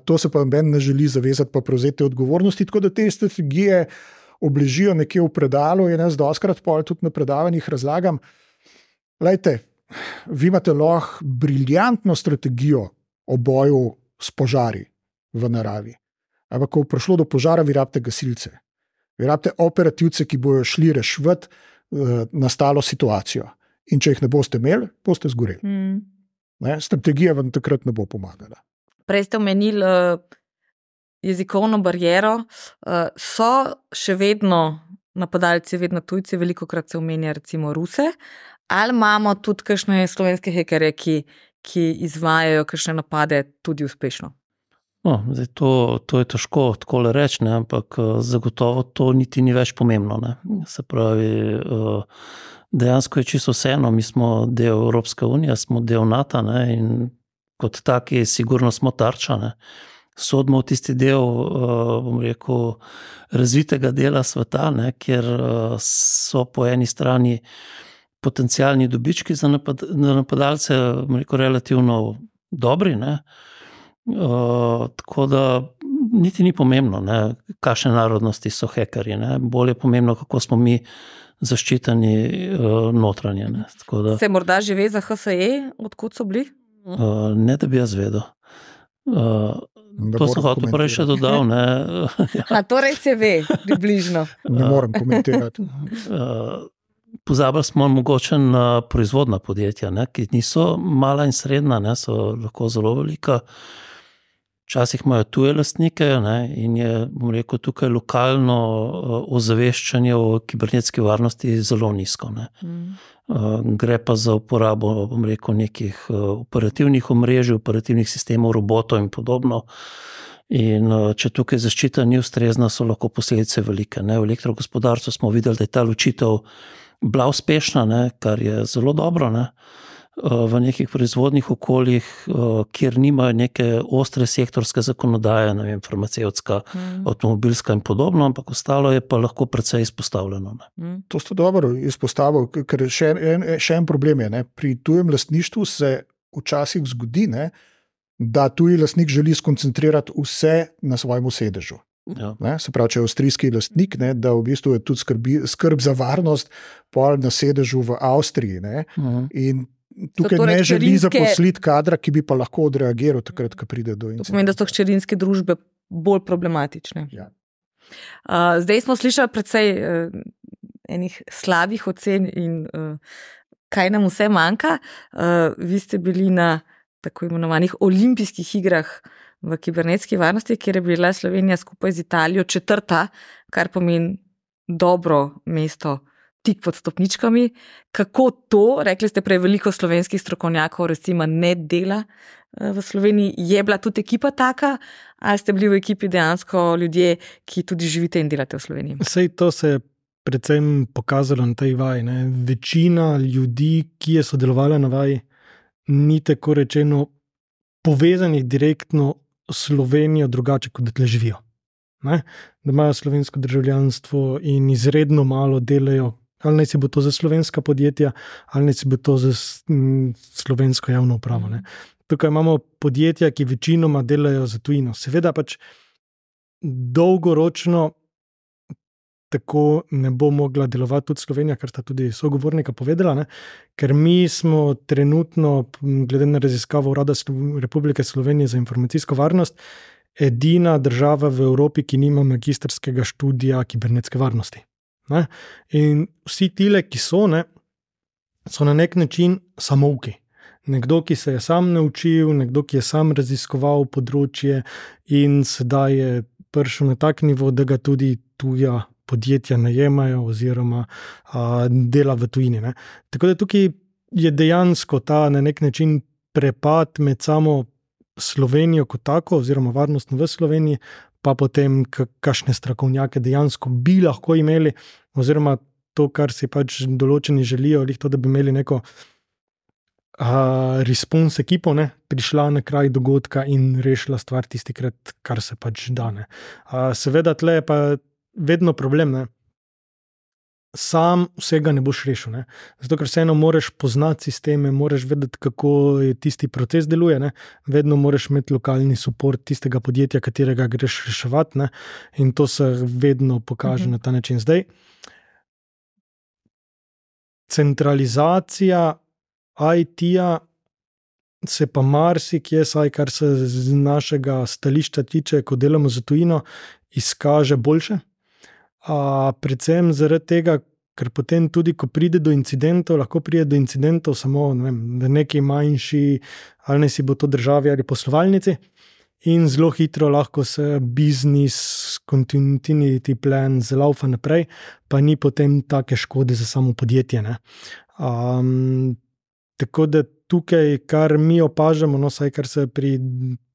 To se pa meni ne želi zavezati pa prevzeti odgovornosti, tako da te strategije obležijo nekje v predalu in jaz dostakrat pol tudi na predavanjih razlagam. Lejte, vi imate lahko briljantno strategijo o boju s požari v naravi. Ampak, ko je prišlo do požara, vi rabite gasilce. Vi rabite operativce, ki bojo šli reševati nastalo situacijo. In če jih ne boste imeli, boste zgoreli. Strategija vam takrat ne bo pomagala. Prej ste omenili jezikovno bariero. So še vedno napadalci, vedno tujci, velikokrat se omenja recimo Ruse. Ali imamo tudi kakšne slovenske hekerje, ki izvajajo kakšne napade tudi uspešno? No, zdaj to je težko takole reči, ampak zagotovo to niti ni več pomembno. Se pravi, dejansko je čisto vseeno, mi smo del Evropske unije, smo del NATO in kot taki sigurno smo tarča. Sodimo v tisti del, bom rekel, razvitega dela sveta, kjer so po eni strani potencialni dobički za napadalce, bom rekel, relativno dobri, tako da niti ni pomembno, kakšne narodnosti so hekerji, bolj je pomembno, kako smo mi zaščiteni notranje. Se morda že ve za HSE, odkud so bili? Ne, da bi jaz vedel. To sem hotel prej še dodal. Torej se ve, približno. Ne morem komentirati. Pozabili smo mogoče na proizvodna podjetja, ki niso mala in srednja, so lahko zelo velika. Včasih imajo tuje lastnike in je, bom rekel, tukaj lokalno ozaveščanje o kibernetski varnosti zelo nizko. Gre pa za uporabo, bom rekel, nekih operativnih omrežij, operativnih sistemov, robotov in podobno. In če tukaj zaščita ni ustrezna, so lahko posledice velike. V elektrogospodarstvu smo videli, da je ta ločitev bila uspešna, kar je zelo dobro, v nekih proizvodnih okoljih, kjer nimajo neke ostre sektorske zakonodaje, farmacevtska, avtomobilska in podobno, ampak ostalo je pa lahko precej izpostavljeno. To ste dobro izpostavili, ker še en problem je. Pri tujem lastništvu se včasih zgodi, da tuji lastnik želi skoncentrirati vse na svojem sedežu. Ja. Se pravi, če je avstrijski lastnik, da v bistvu je tudi skrb za varnost pol na sedežu v Avstriji. In tukaj torej ne želi zaposliti kadra, ki bi pa lahko odreagiral takrat, ko pride do incidenta. To pomeni, da so hčerinske družbe bolj problematične. Ja. Zdaj smo slišali precej enih slabih ocen in kaj nam vse manjka. Vi ste bili na tako imenovanih olimpijskih igrah v kibernetski varnosti, kjer je bila Slovenija skupaj z Italijo 4., kar pomeni dobro mesto tik pod stopničkami. Kako to, rekli ste prej, veliko slovenskih strokovnjakov recimo ne dela v Sloveniji, je bila tudi ekipa taka, ali ste bili v ekipi dejansko ljudje, ki tudi živite in delate v Sloveniji? Sej to se je predvsem pokazalo na tej vaji. Večina ljudi, ki je sodelovala na vaji, ni tako rečeno povezanih direktno s Slovenijo drugače, kot da tle živijo. ne? Da imajo slovensko državljanstvo in izredno malo delajo, ali naj si bo to za slovenska podjetja, ali naj si bo to za slovensko javno upravo. Ne? Tukaj imamo podjetja, ki večinoma delajo za tujino. Seveda pač dolgoročno tako ne bo mogla delovati tudi Slovenija, kar sta tudi sogovornika povedala, ne? Ker mi smo trenutno, glede na raziskavo Urada Republike Slovenije za informacijsko varnost, edina država v Evropi, ki nima magistrskega študija kibernetske varnosti. Ne? In vsi tile, ki so, ne, so na nek način samouki. Nekdo, ki se je sam naučil, nekdo, ki je sam raziskoval področje in sedaj je prišel na tak nivo, da ga tudi tuja podjetja najemajo oziroma dela v tujini. Ne. Tako da tukaj je dejansko ta na nek način prepad med samo Slovenijo kot tako oziroma varnostno v Sloveniji, pa potem kakšne strokovnjake dejansko bi lahko imeli oziroma to, kar si pač določeni želijo, to, da bi imeli neko response ekipo, ne, prišla na kraj dogodka in rešila stvar tistikrat, kar se pač da. Ne. Seveda tle je pa vedno problem, ne. Sam vsega ne boš rešil, ne. Zato, ker vseeno moraš poznati sisteme, moraš vedeti, kako tisti proces deluje, ne. Vedno moraš imeti lokalni support tistega podjetja, katerega greš reševati, ne. In to se vedno pokaže na ta način. Zdaj, centralizacija IT-ja se pa marsikje, saj kar se z našega stališča tiče, ko delamo za tujino, izkaže boljše. Predvsem zaradi tega, ker potem tudi, ko pride do incidentov, lahko pride do incidentov samo v neki manjši, ali ne si bo to državi ali poslovalnici, in zelo hitro lahko se business continuity plan zlaufa naprej, pa ni potem take škode za samo podjetje. Ne? Tako da tukaj, kar mi opažamo, no, saj kar se pri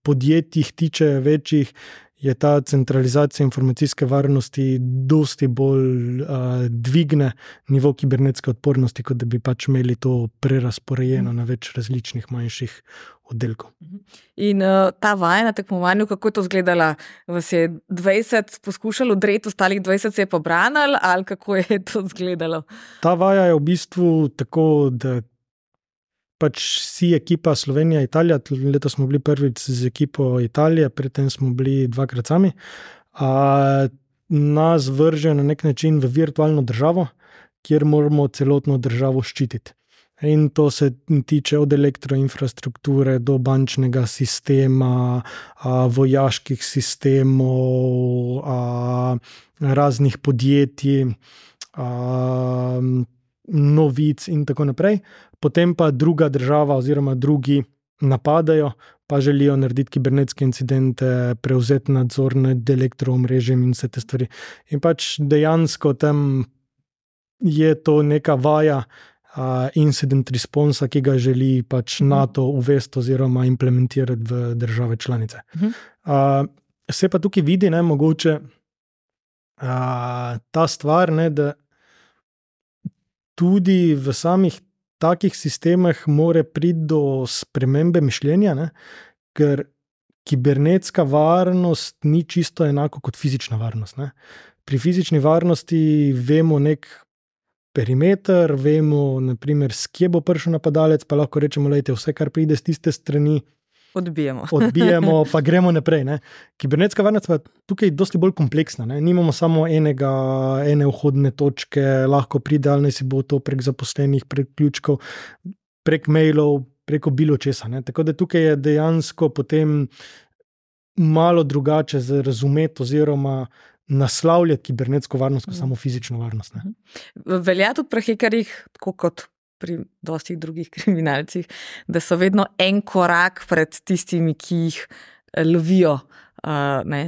podjetjih tiče večjih, je ta centralizacija informacijske varnosti dosti bolj dvigne nivo kibernetske odpornosti, kot da bi pač imeli to prerasporejeno na več različnih manjših oddelkov. In ta vaja na tekmovanju, kako je to izgledala? Vas je 20 poskušalo odreti, ostalih 20 se je pobranilo, ali kako je to izgledalo? Ta vaja je v bistvu tako, da pač si ekipa Slovenija-Italija, letos smo bili prvič z ekipo Italije, predtem smo bili 2krat sami, nas vrže na nek način v virtualno državo, kjer moramo celotno državo ščititi. In to se tiče od elektroinfrastrukture do bančnega sistema, vojaških sistemov, raznih podjetij, novic in tako naprej. Potem pa druga država oziroma drugi napadajo, pa želijo narediti kibernetske incidente, prevzeti nadzor nad elektroomrežjem in vse te stvari. In pač dejansko tam je to neka vaja incident responsa, ki ga želi pač NATO uvesti oziroma implementirati v države članice. Se pa tukaj vidi, ne, mogoče ta stvar, ne, da tudi v samih takih sistemih more priti do spremembe mišljenja, ne? Ker kibernetska varnost ni čisto enako kot fizična varnost. Ne? Pri fizični varnosti vemo nek perimeter, vemo, naprimer, s kje bo prišel napadalec, pa lahko rečemo, lejte, vse, kar pride z tiste strani, odbijemo, pa gremo naprej. Ne? Kibernetska varnost pa tukaj dosti bolj kompleksna. Ne? Nimamo samo ene vhodne točke, lahko pride, ali si bo to prek zaposlenih, prek ključkov, prek mailov, preko bilo česa. Ne? Tako da tukaj je dejansko potem malo drugače za razumeti oziroma naslavljati kibernetsko varnost kot samo fizično varnost. Ne? Velja tudi pri hekerjih, tako kot pri dostih drugih kriminalcih, da so vedno en korak pred tistimi, ki jih lovijo,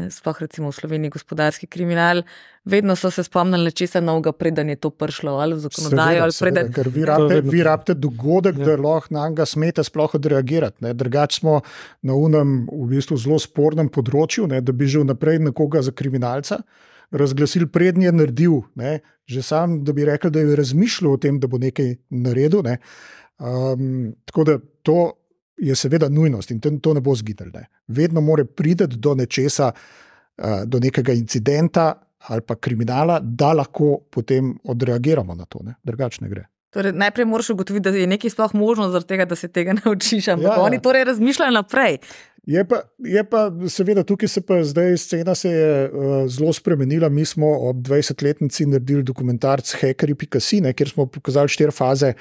sploh recimo v Sloveniji gospodarski kriminal, vedno so se spomnili nečesa novega, preden je to prišlo ali v zakonodajo. Seveda, ker vi rabite dogodek, da lahko na njega smete sploh odreagirati. Drugače smo na unem v bistvu zelo spornem področju, ne, da bi že vnaprej nekoga za kriminalca razglasili, prednji je naredil, ne, že sam, da bi rekel, da je razmišljal o tem, da bo nekaj naredil. Ne. Tako da to je seveda nujnost in to ne bo zgidelj. Ne. Vedno mora priti do nečesa do nekega incidenta ali pa kriminala, da lahko potem odreagiramo na to, drugače ne gre. Torej, najprej moraš ugotoviti, da je nekaj sploh možno zaradi tega, da se tega naučiš, ampak oni torej razmišljajo naprej. Je pa seveda tukaj zdaj scena se je zelo spremenila. Mi smo ob 20-letnici naredili dokumentarc Hackeri.si, kjer smo pokazali 4 faze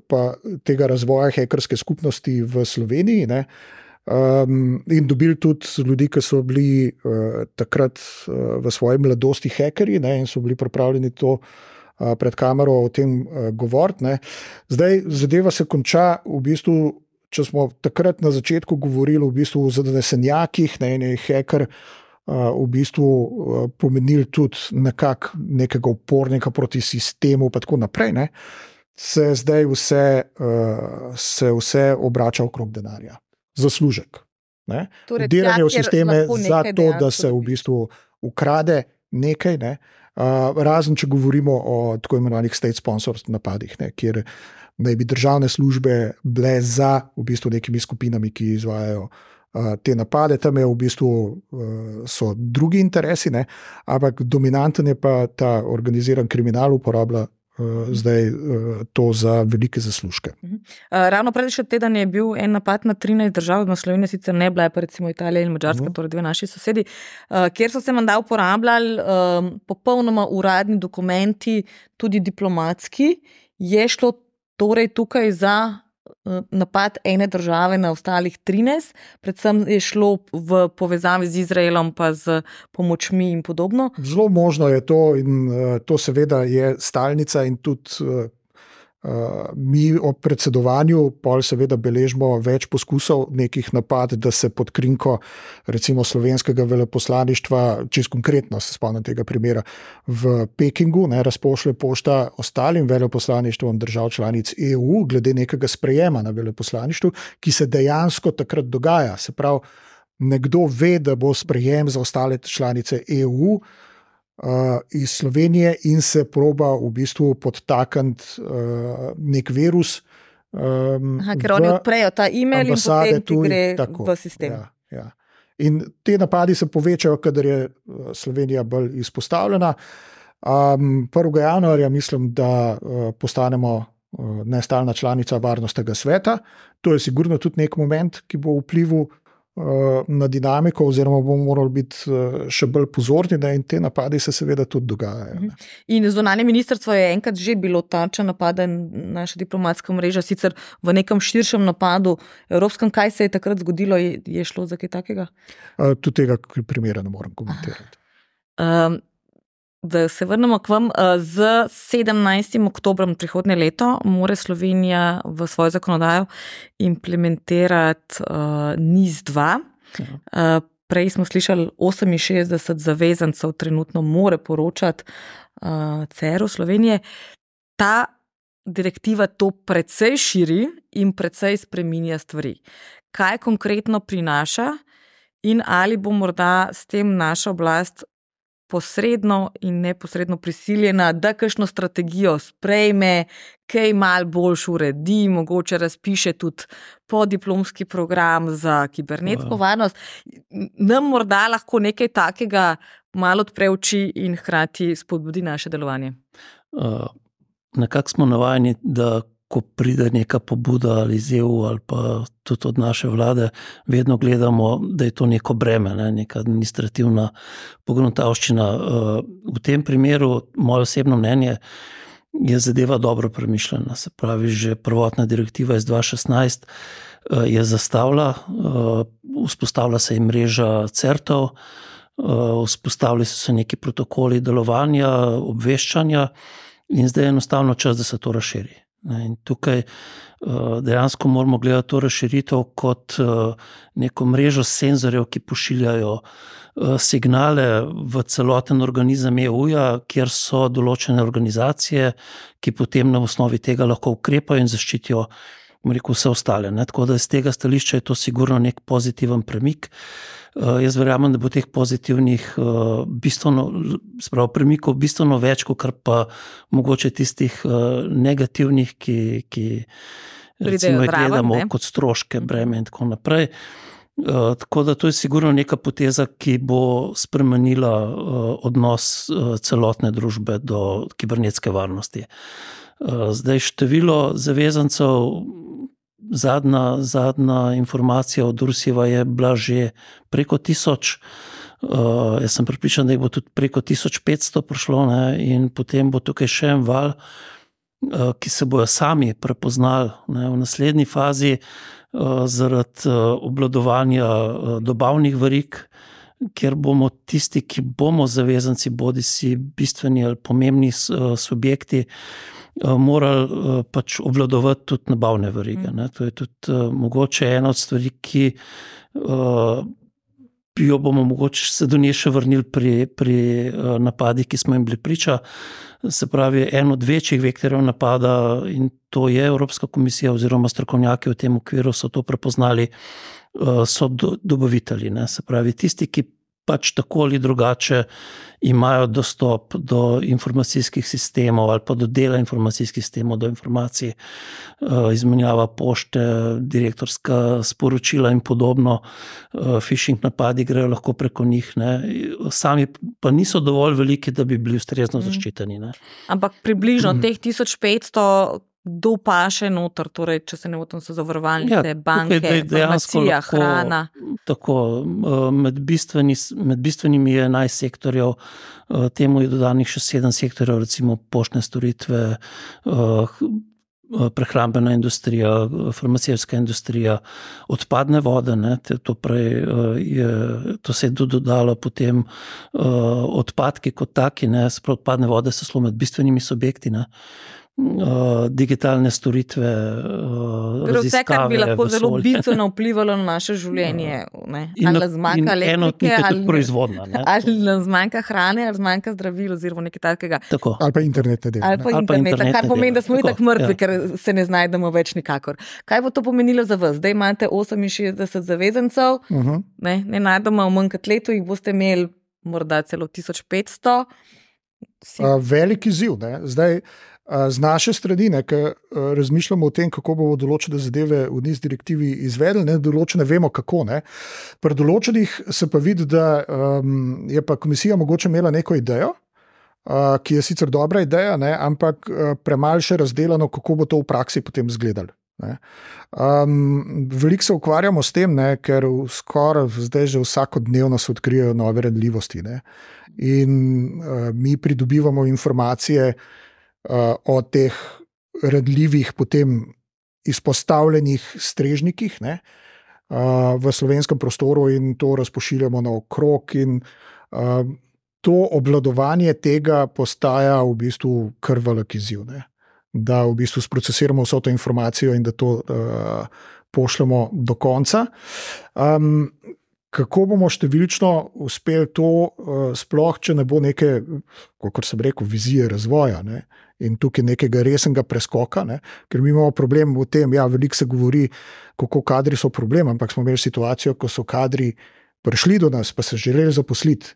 pa tega razvoja hekerske skupnosti v Sloveniji, in dobili tudi ljudi, ki so bili takrat v svoji mladosti hekerji, in so bili pripravljeni to pred kamero o tem govoriti. Zdaj zadeva se konča v bistvu, če smo takrat na začetku govorili v bistvu o zanesenjakih, in je heker v bistvu pomenil tudi nekega upornika proti sistemu pa tako naprej, se zdaj vse obrača okrog denarja. Zaslužek. Torej, delanje v sisteme za to, da se v bistvu ukrade nekaj, razen če govorimo o tako imenovanih state sponsored napadih, kjer naj bi državne službe bile za v bistvu nekimi skupinami, ki izvajajo te napade. Tam je v bistvu so drugi interesi, ampak dominanten je pa ta organiziran kriminal, uporablja zdaj to za velike zaslužke. Ravno prejšnji teden je bil en napad na 13 držav, na Sloveniji sicer ne bila, pa recimo Italija in Madžarska, torej 2 naši sosedi, kjer so se menda uporabljali popolnoma uradni dokumenti, tudi diplomatski. Je šlo torej tukaj za napad ene države na ostalih 13, predvsem je šlo v povezavi z Izraelom pa z pomočmi in podobno. Zelo možno je to in to seveda je stalnica in tudi mi ob predsedovanju pol seveda beležimo več poskusov nekih napad, da se pod krinko recimo slovenskega veleposlaništva, čisto konkretno se spomnim tega primera, v Pekingu razpošlje pošta ostalim veleposlaništvom držav članic EU glede nekega sprejema na veleposlaništvu, ki se dejansko takrat dogaja. Se pravi, nekdo ve, da bo sprejem za ostale članice EU iz Slovenije in se proba v bistvu podtakniti nek virus. Ker oni odprejo ta e-mail in potem ti gre tako, v sistem. Ja. In te napadi se povečajo, kadar je Slovenija bolj izpostavljena. 1. januarja mislim, da postanemo nestalna članica Varnostnega sveta. To je sigurno tudi nek moment, ki bo vplival na dinamiko, oziroma bomo morali biti še bolj pozorni, in te napadi se seveda tudi dogajajo. In zunanje ministrstvo je enkrat že bilo tarča napada, naša diplomatska mreža, sicer v nekem širšem napadu evropskem. Kaj se je takrat zgodilo? Je šlo za kaj takega? Tudi tega primera ne morem komentirati. Da se vrnemo k vam, z 17. oktobrom prihodnje leto mora Slovenija v svojo zakonodajo implementirati NIS-2. Prej smo slišali 68 zavezancev trenutno more poročati CER-u Slovenije. Ta direktiva to precej širi in precej spreminja stvari. Kaj konkretno prinaša in ali bo morda s tem naša oblast posredno in neposredno prisiljena, da kakšno strategijo sprejme, kaj malo boljš uredi, mogoče razpiše tudi podiplomski program za kibernetsko varnost. Nam morda lahko nekaj takega malo odpre oči in hkrati spodbudi naše delovanje. Nekako smo navajeni, da ko pride neka pobuda ali iz EU ali pa tudi od naše vlade, vedno gledamo, da je to neko breme, neka administrativna pogruntavščina. V tem primeru, moje osebno mnenje, je zadeva dobro premišljena. Se pravi, že prvotna direktiva iz 2016 je zastavila, vzpostavila se je mreža CERT-ov, vzpostavili so se neki protokoli delovanja, obveščanja in zdaj je enostavno čas, da se to razširi. In tukaj dejansko moramo gledati to razširitev kot neko mrežo senzorjev, ki pošiljajo signale v celoten organizem EU-ja, kjer so določene organizacije, ki potem na osnovi tega lahko ukrepajo in zaščitijo vse ostale. Tako da iz tega stališča je to sigurno nek pozitiven premik. Jaz verjamem, da bo teh pozitivnih premikov bistveno več, kot pa mogoče tistih negativnih, ki recimo gledamo kot stroške, breme in tako naprej. Tako da to je sigurno neka poteza, ki bo spremenila odnos celotne družbe do kibernetske varnosti. Zdaj število zavezancev, zadnja informacija od Ursijeva je bila že preko 1000. Jaz sem prepričan, da jih bo tudi preko 1500 prišlo, ne, in potem bo tukaj še en val, ki se bojo sami prepoznali, ne, v naslednji fazi zaradi obvladovanja dobavnih verig, kjer bomo tisti, ki bomo zavezanci, bodisi bistveni ali pomembni subjekti, morali pač obvladovati tudi nabavne verige. Ne. To je tudi mogoče ena od stvari, ki jo bomo mogoče se do nje še vrnili pri napadih, ki smo jim bili priča. Se pravi, en od večjih vektorjev napada, in to je Evropska komisija oziroma strokovnjaki v tem okviru so to prepoznali, so dobavitelji. Ne. Se pravi, tisti, ki pač tako ali drugače imajo dostop do informacijskih sistemov ali pa do dela informacijskih sistemov, do informacij, izmenjava pošte, direktorska sporočila in podobno, phishing napadi grejo lahko preko njih, ne. Sami pa niso dovolj veliki, da bi bili ustrezno zaščiteni. Ne. Ampak približno teh 1500 kdo paše noter, torej, če se ne motim, so zavarovalnice, banke, farmacija, hrana. Tako, med bistvenimi je 11 sektorjev, temu je dodanih še 7 sektorjev, recimo poštne storitve, prehrambena industrija, farmacijska industrija, odpadne vode, ne, to se je dodalo potem odpadki kot taki, ne, odpadne vode so zelo med bistvenimi subjekti, ne. Digitalne storitve, raziskave, vse, kar bi lahko zelo bistveno vplivalo na naše življenje. Ali nas zmanjka elektrike, ali nas zmanjka hrane, ali zmanjka zdravil oziroma nekaj takega. Tako. Ali pa internetne dele. Ali pa interneta, kar pomeni, da smo tako mrtvi, ker se ne znajdemo več nikakor. Kaj bo to pomenilo za vas? Zdaj imate 68 zavezancev, ne najdemo v manj kot letu, jih boste imeli morda celo 1500. Veliki izziv, ne. Zdaj, z naše strani, ki razmišljamo o tem, kako bomo določene zadeve v NIS direktivi izvedli, ne, določene vemo kako. Ne. Pri določenih se pa vidi, da je pa komisija mogoče imela neko idejo, ki je sicer dobra ideja, ne, ampak premalo še razdelano, kako bo to v praksi potem izgledalo. Veliko se ukvarjamo s tem, ne, ker skoraj zdaj že vsakodnevno se odkrijejo nove ranljivosti, ne. In mi pridobivamo informacije o teh ranljivih potem izpostavljenih strežnikih, ne, v slovenskem prostoru in to razpošiljamo naokrog in to obvladovanje tega postaja v bistvu kar velik izziv, ne. Da v bistvu sprocesiramo vso to informacijo in da to pošljemo do konca. Kako bomo številčno uspeli to, sploh, če ne bo neke, kakor sem rekel, vizije razvoja, ne? In tukaj nekega resnega preskoka, ne? Ker mi imamo problem v tem, veliko se govori, kako kadri so problem, ampak smo imeli situacijo, ko so kadri prišli do nas, pa se želeli zaposliti,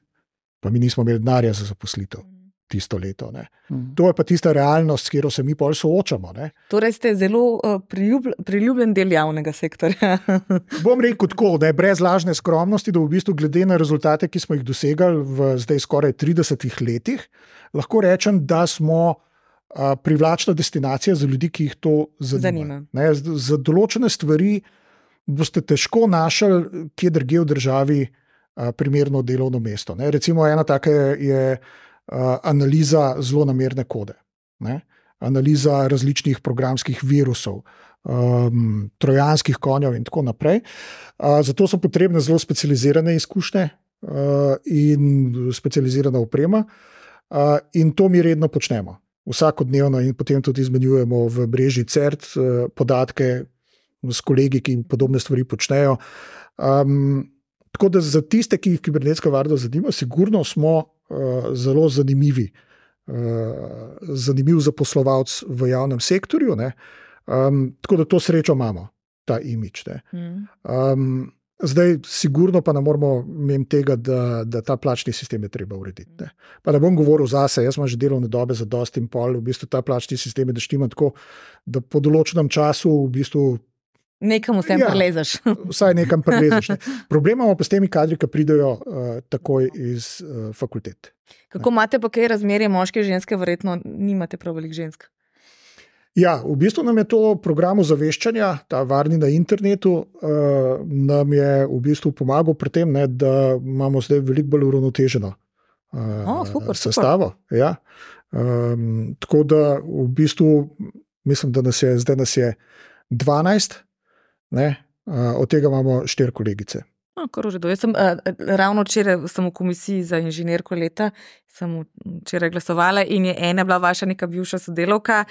pa mi nismo imeli denarja za zaposlitev tisto leto. Ne? To je pa tista realnost, s katero se mi pol soočamo. Ne? Torej ste zelo priljubljen del javnega sektorja. Bom rekel tako, da je brez lažne skromnosti, da v bistvu glede na rezultate, ki smo jih dosegali v zdaj skoraj 30 letih, lahko rečem, da smo privlačna destinacija za ljudi, ki jih to zanima. Ne? Za določene stvari boste težko našli, kje drugje v državi primerno delovno mesto. Ne? Recimo ena taka je analiza zlonamerne kode, ne? Analiza različnih programskih virusov, trojanskih konjev in tako naprej. Zato so potrebne zelo specializirane izkušnje in specializirana oprema in to mi redno počnemo. Vsakodnevno in potem tudi izmenjujemo v mreži CERT podatke s kolegi, ki podobne stvari počnejo. Tako da za tiste, ki jih kibernetska varnost zanima, sigurno smo zelo zanimiv zaposlovalec v javnem sektorju, ne? Tako da to srečo imamo, ta imidž. Zdaj, sigurno pa ne moramo imeti tega, da ta plačni sistem je treba urediti. Ne? Pa ne bom govoril zase, jaz imam že delovne dobe za dosti in pol, v bistvu ta plačni sistem je, da štima tako, da po določenem času v bistvu Nekam vsem prelezeš. Vsaj nekam prelezeš. Ne. Problem imamo pa s temi kadri, ki pridejo takoj iz fakultet. Kako imate pa kaj razmerje moške in ženske? Verjetno nimate prav veliko žensk. Ja, v bistvu nam je to program ozaveščanja, ta varni na internetu, nam je v bistvu pomagal pri tem, ne, da imamo zdaj veliko bolj uravnoteženo sestavo. Ja. Tako da v bistvu mislim, da nas je 12, ne, od tega imamo 4 kolegice. Jaz sem ravno včeraj v komisiji za inženirko leta, sem včeraj glasovala in je ena bila vaša neka bivša sodelavka,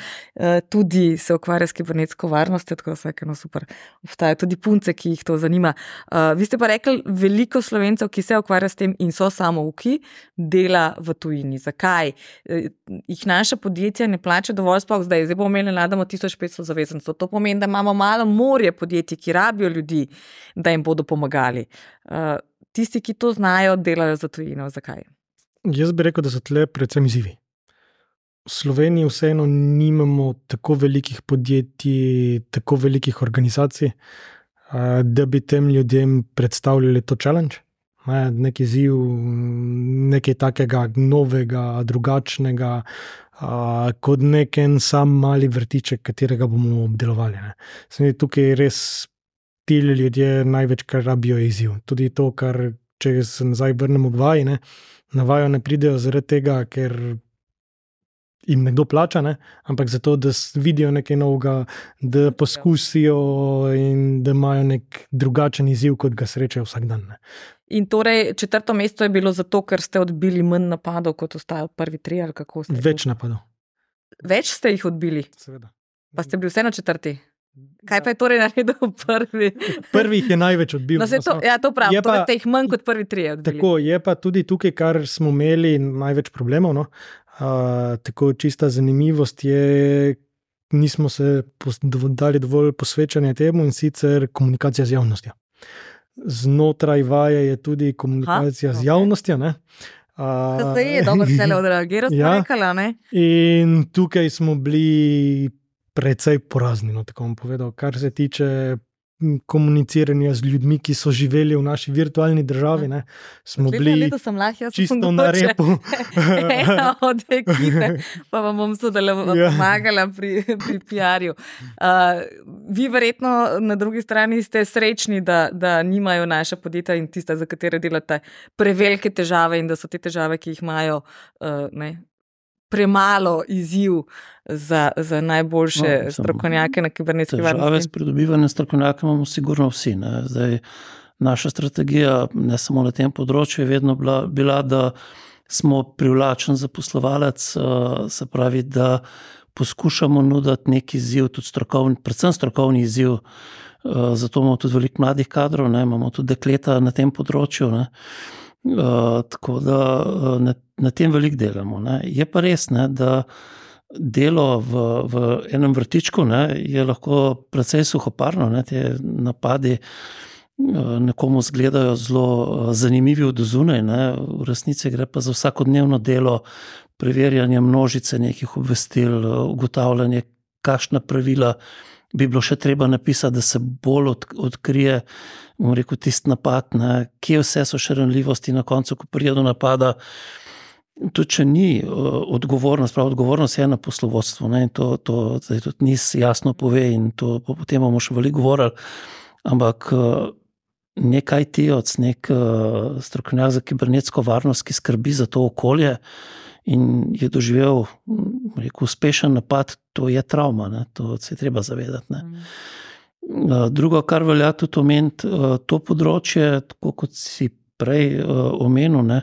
tudi se ukvarja s kibernetsko varnostjo, tako da vsakeno super. Obstajajo tudi punce, ki jih to zanima. Vi ste pa rekli, veliko Slovencev, ki se ukvarja s tem in so samouki, dela v tujini. Zakaj? Jih naša podjetja ne plača dovolj sploh zdaj bomo imeli nadamo 1500 zavezancev. To pomeni, da imamo malo morje podjetij, ki rabijo ljudi, da jim bodo pomagali. Tisti, ki to znajo, delajo za tujino. Zakaj? Jaz bi rekel, da so tle predvsem izzivi. V Sloveniji vseeno nimamo tako velikih podjetij, tako velikih organizacij, da bi tem ljudem predstavljali to challenge. Nek izziv, nekaj takega novega, drugačnega, kot nek en sam mali vrtiček, katerega bomo obdelovali. Tukaj res ti ljudje največkrat rabijo izziv. Tudi to, kar, če se nazaj vrnemo k vaji, na vajo ne pridejo zaradi tega, ker jim nekdo plača, ampak zato, da vidijo nekaj novega, da poskusijo in da imajo nek drugačen izziv, kot ga srečajo vsak dan. In torej 4. mesto je bilo zato, ker ste odbili manj napadov, kot ostali prvi 3, ali kako ste? Več napadov. Več ste jih odbili? Seveda. Pa ste bili vseeno 4. Kaj pa je torej naredil prvi? Prvi jih je največ odbil. To pravim, torej ste jih manj kot prvi 3 odbili. Tako, je pa tudi tukaj, kar smo imeli največ problemov. Tako čista zanimivost je, nismo se dali dovolj posvečanja temu, in sicer komunikacija z javnostjo. Znotraj vaje je tudi komunikacija z javnostjo. To je dobro, da se le odreagira, smo rekala, ne? In tukaj smo bili precej porazni, tako bom povedal, kar se tiče komuniciranja z ljudmi, ki so živeli v naši virtualni državi. Smo bili čisto na repu. Ena od ekipe, pa vam bom pomagala pri PR-ju. Vi verjetno na drugi strani ste srečni, da nimajo naša podjetja in tista, za katere delate, prevelike težave in da so te težave, ki jih imajo, premalo izziv za najboljše strokovnjake na kibernetski varnosti. Težave s pridobivanjem strokovnjaka imamo sigurno vsi. Zdaj, naša strategija, ne samo na tem področju, je vedno bila, da smo privlačen zaposlovalec, se pravi, da poskušamo nuditi neki izziv, tudi strokovni, predvsem strokovni izziv, zato imamo tudi veliko mladih kadrov, imamo tudi dekleta na tem področju, tako da na tem veliko delamo. Je pa res, da delo v enem vrtičku je lahko precej suhoparno. Te napadi nekomu izgledajo zelo zanimivi od zunaj, v resnici gre pa za vsakodnevno delo, preverjanje množice nekih obvestil, ugotavljanje, kakšna pravila bi bilo še treba napisati, da se bolj odkrije, bom rekel, tisti napad, kje vse so še ranljivosti na koncu, ko pride do napada. Tudi če ni odgovornost je na poslovodstvu, in to tudi NIS jasno pove in to potem bomo še veliko govorili, ampak nek IT-ovec, nek strokovnjak za kibernetsko varnost, ki skrbi za to okolje in je doživel uspešen napad, to je travma, to se je treba zavedati. Drugo, kar velja tudi omeniti, to področje, tako kot si prej omenil,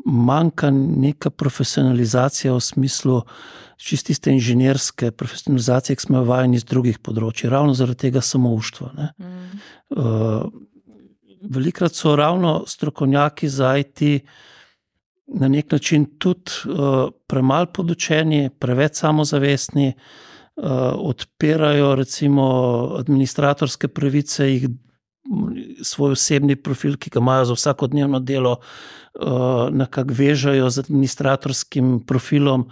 manjka neka profesionalizacija v smislu čististe inženirske profesionalizacije, ki smo jo vajeni iz drugih področij, ravno zaradi tega samouštva. Velikrat so ravno strokovnjaki za IT na nek način tudi premalo podučeni, preveč samozavestni, odpirajo recimo administratorske pravice, jih svoj osebni profil, ki ga imajo za vsakodnevno delo, nekako vežajo z administratorskim profilom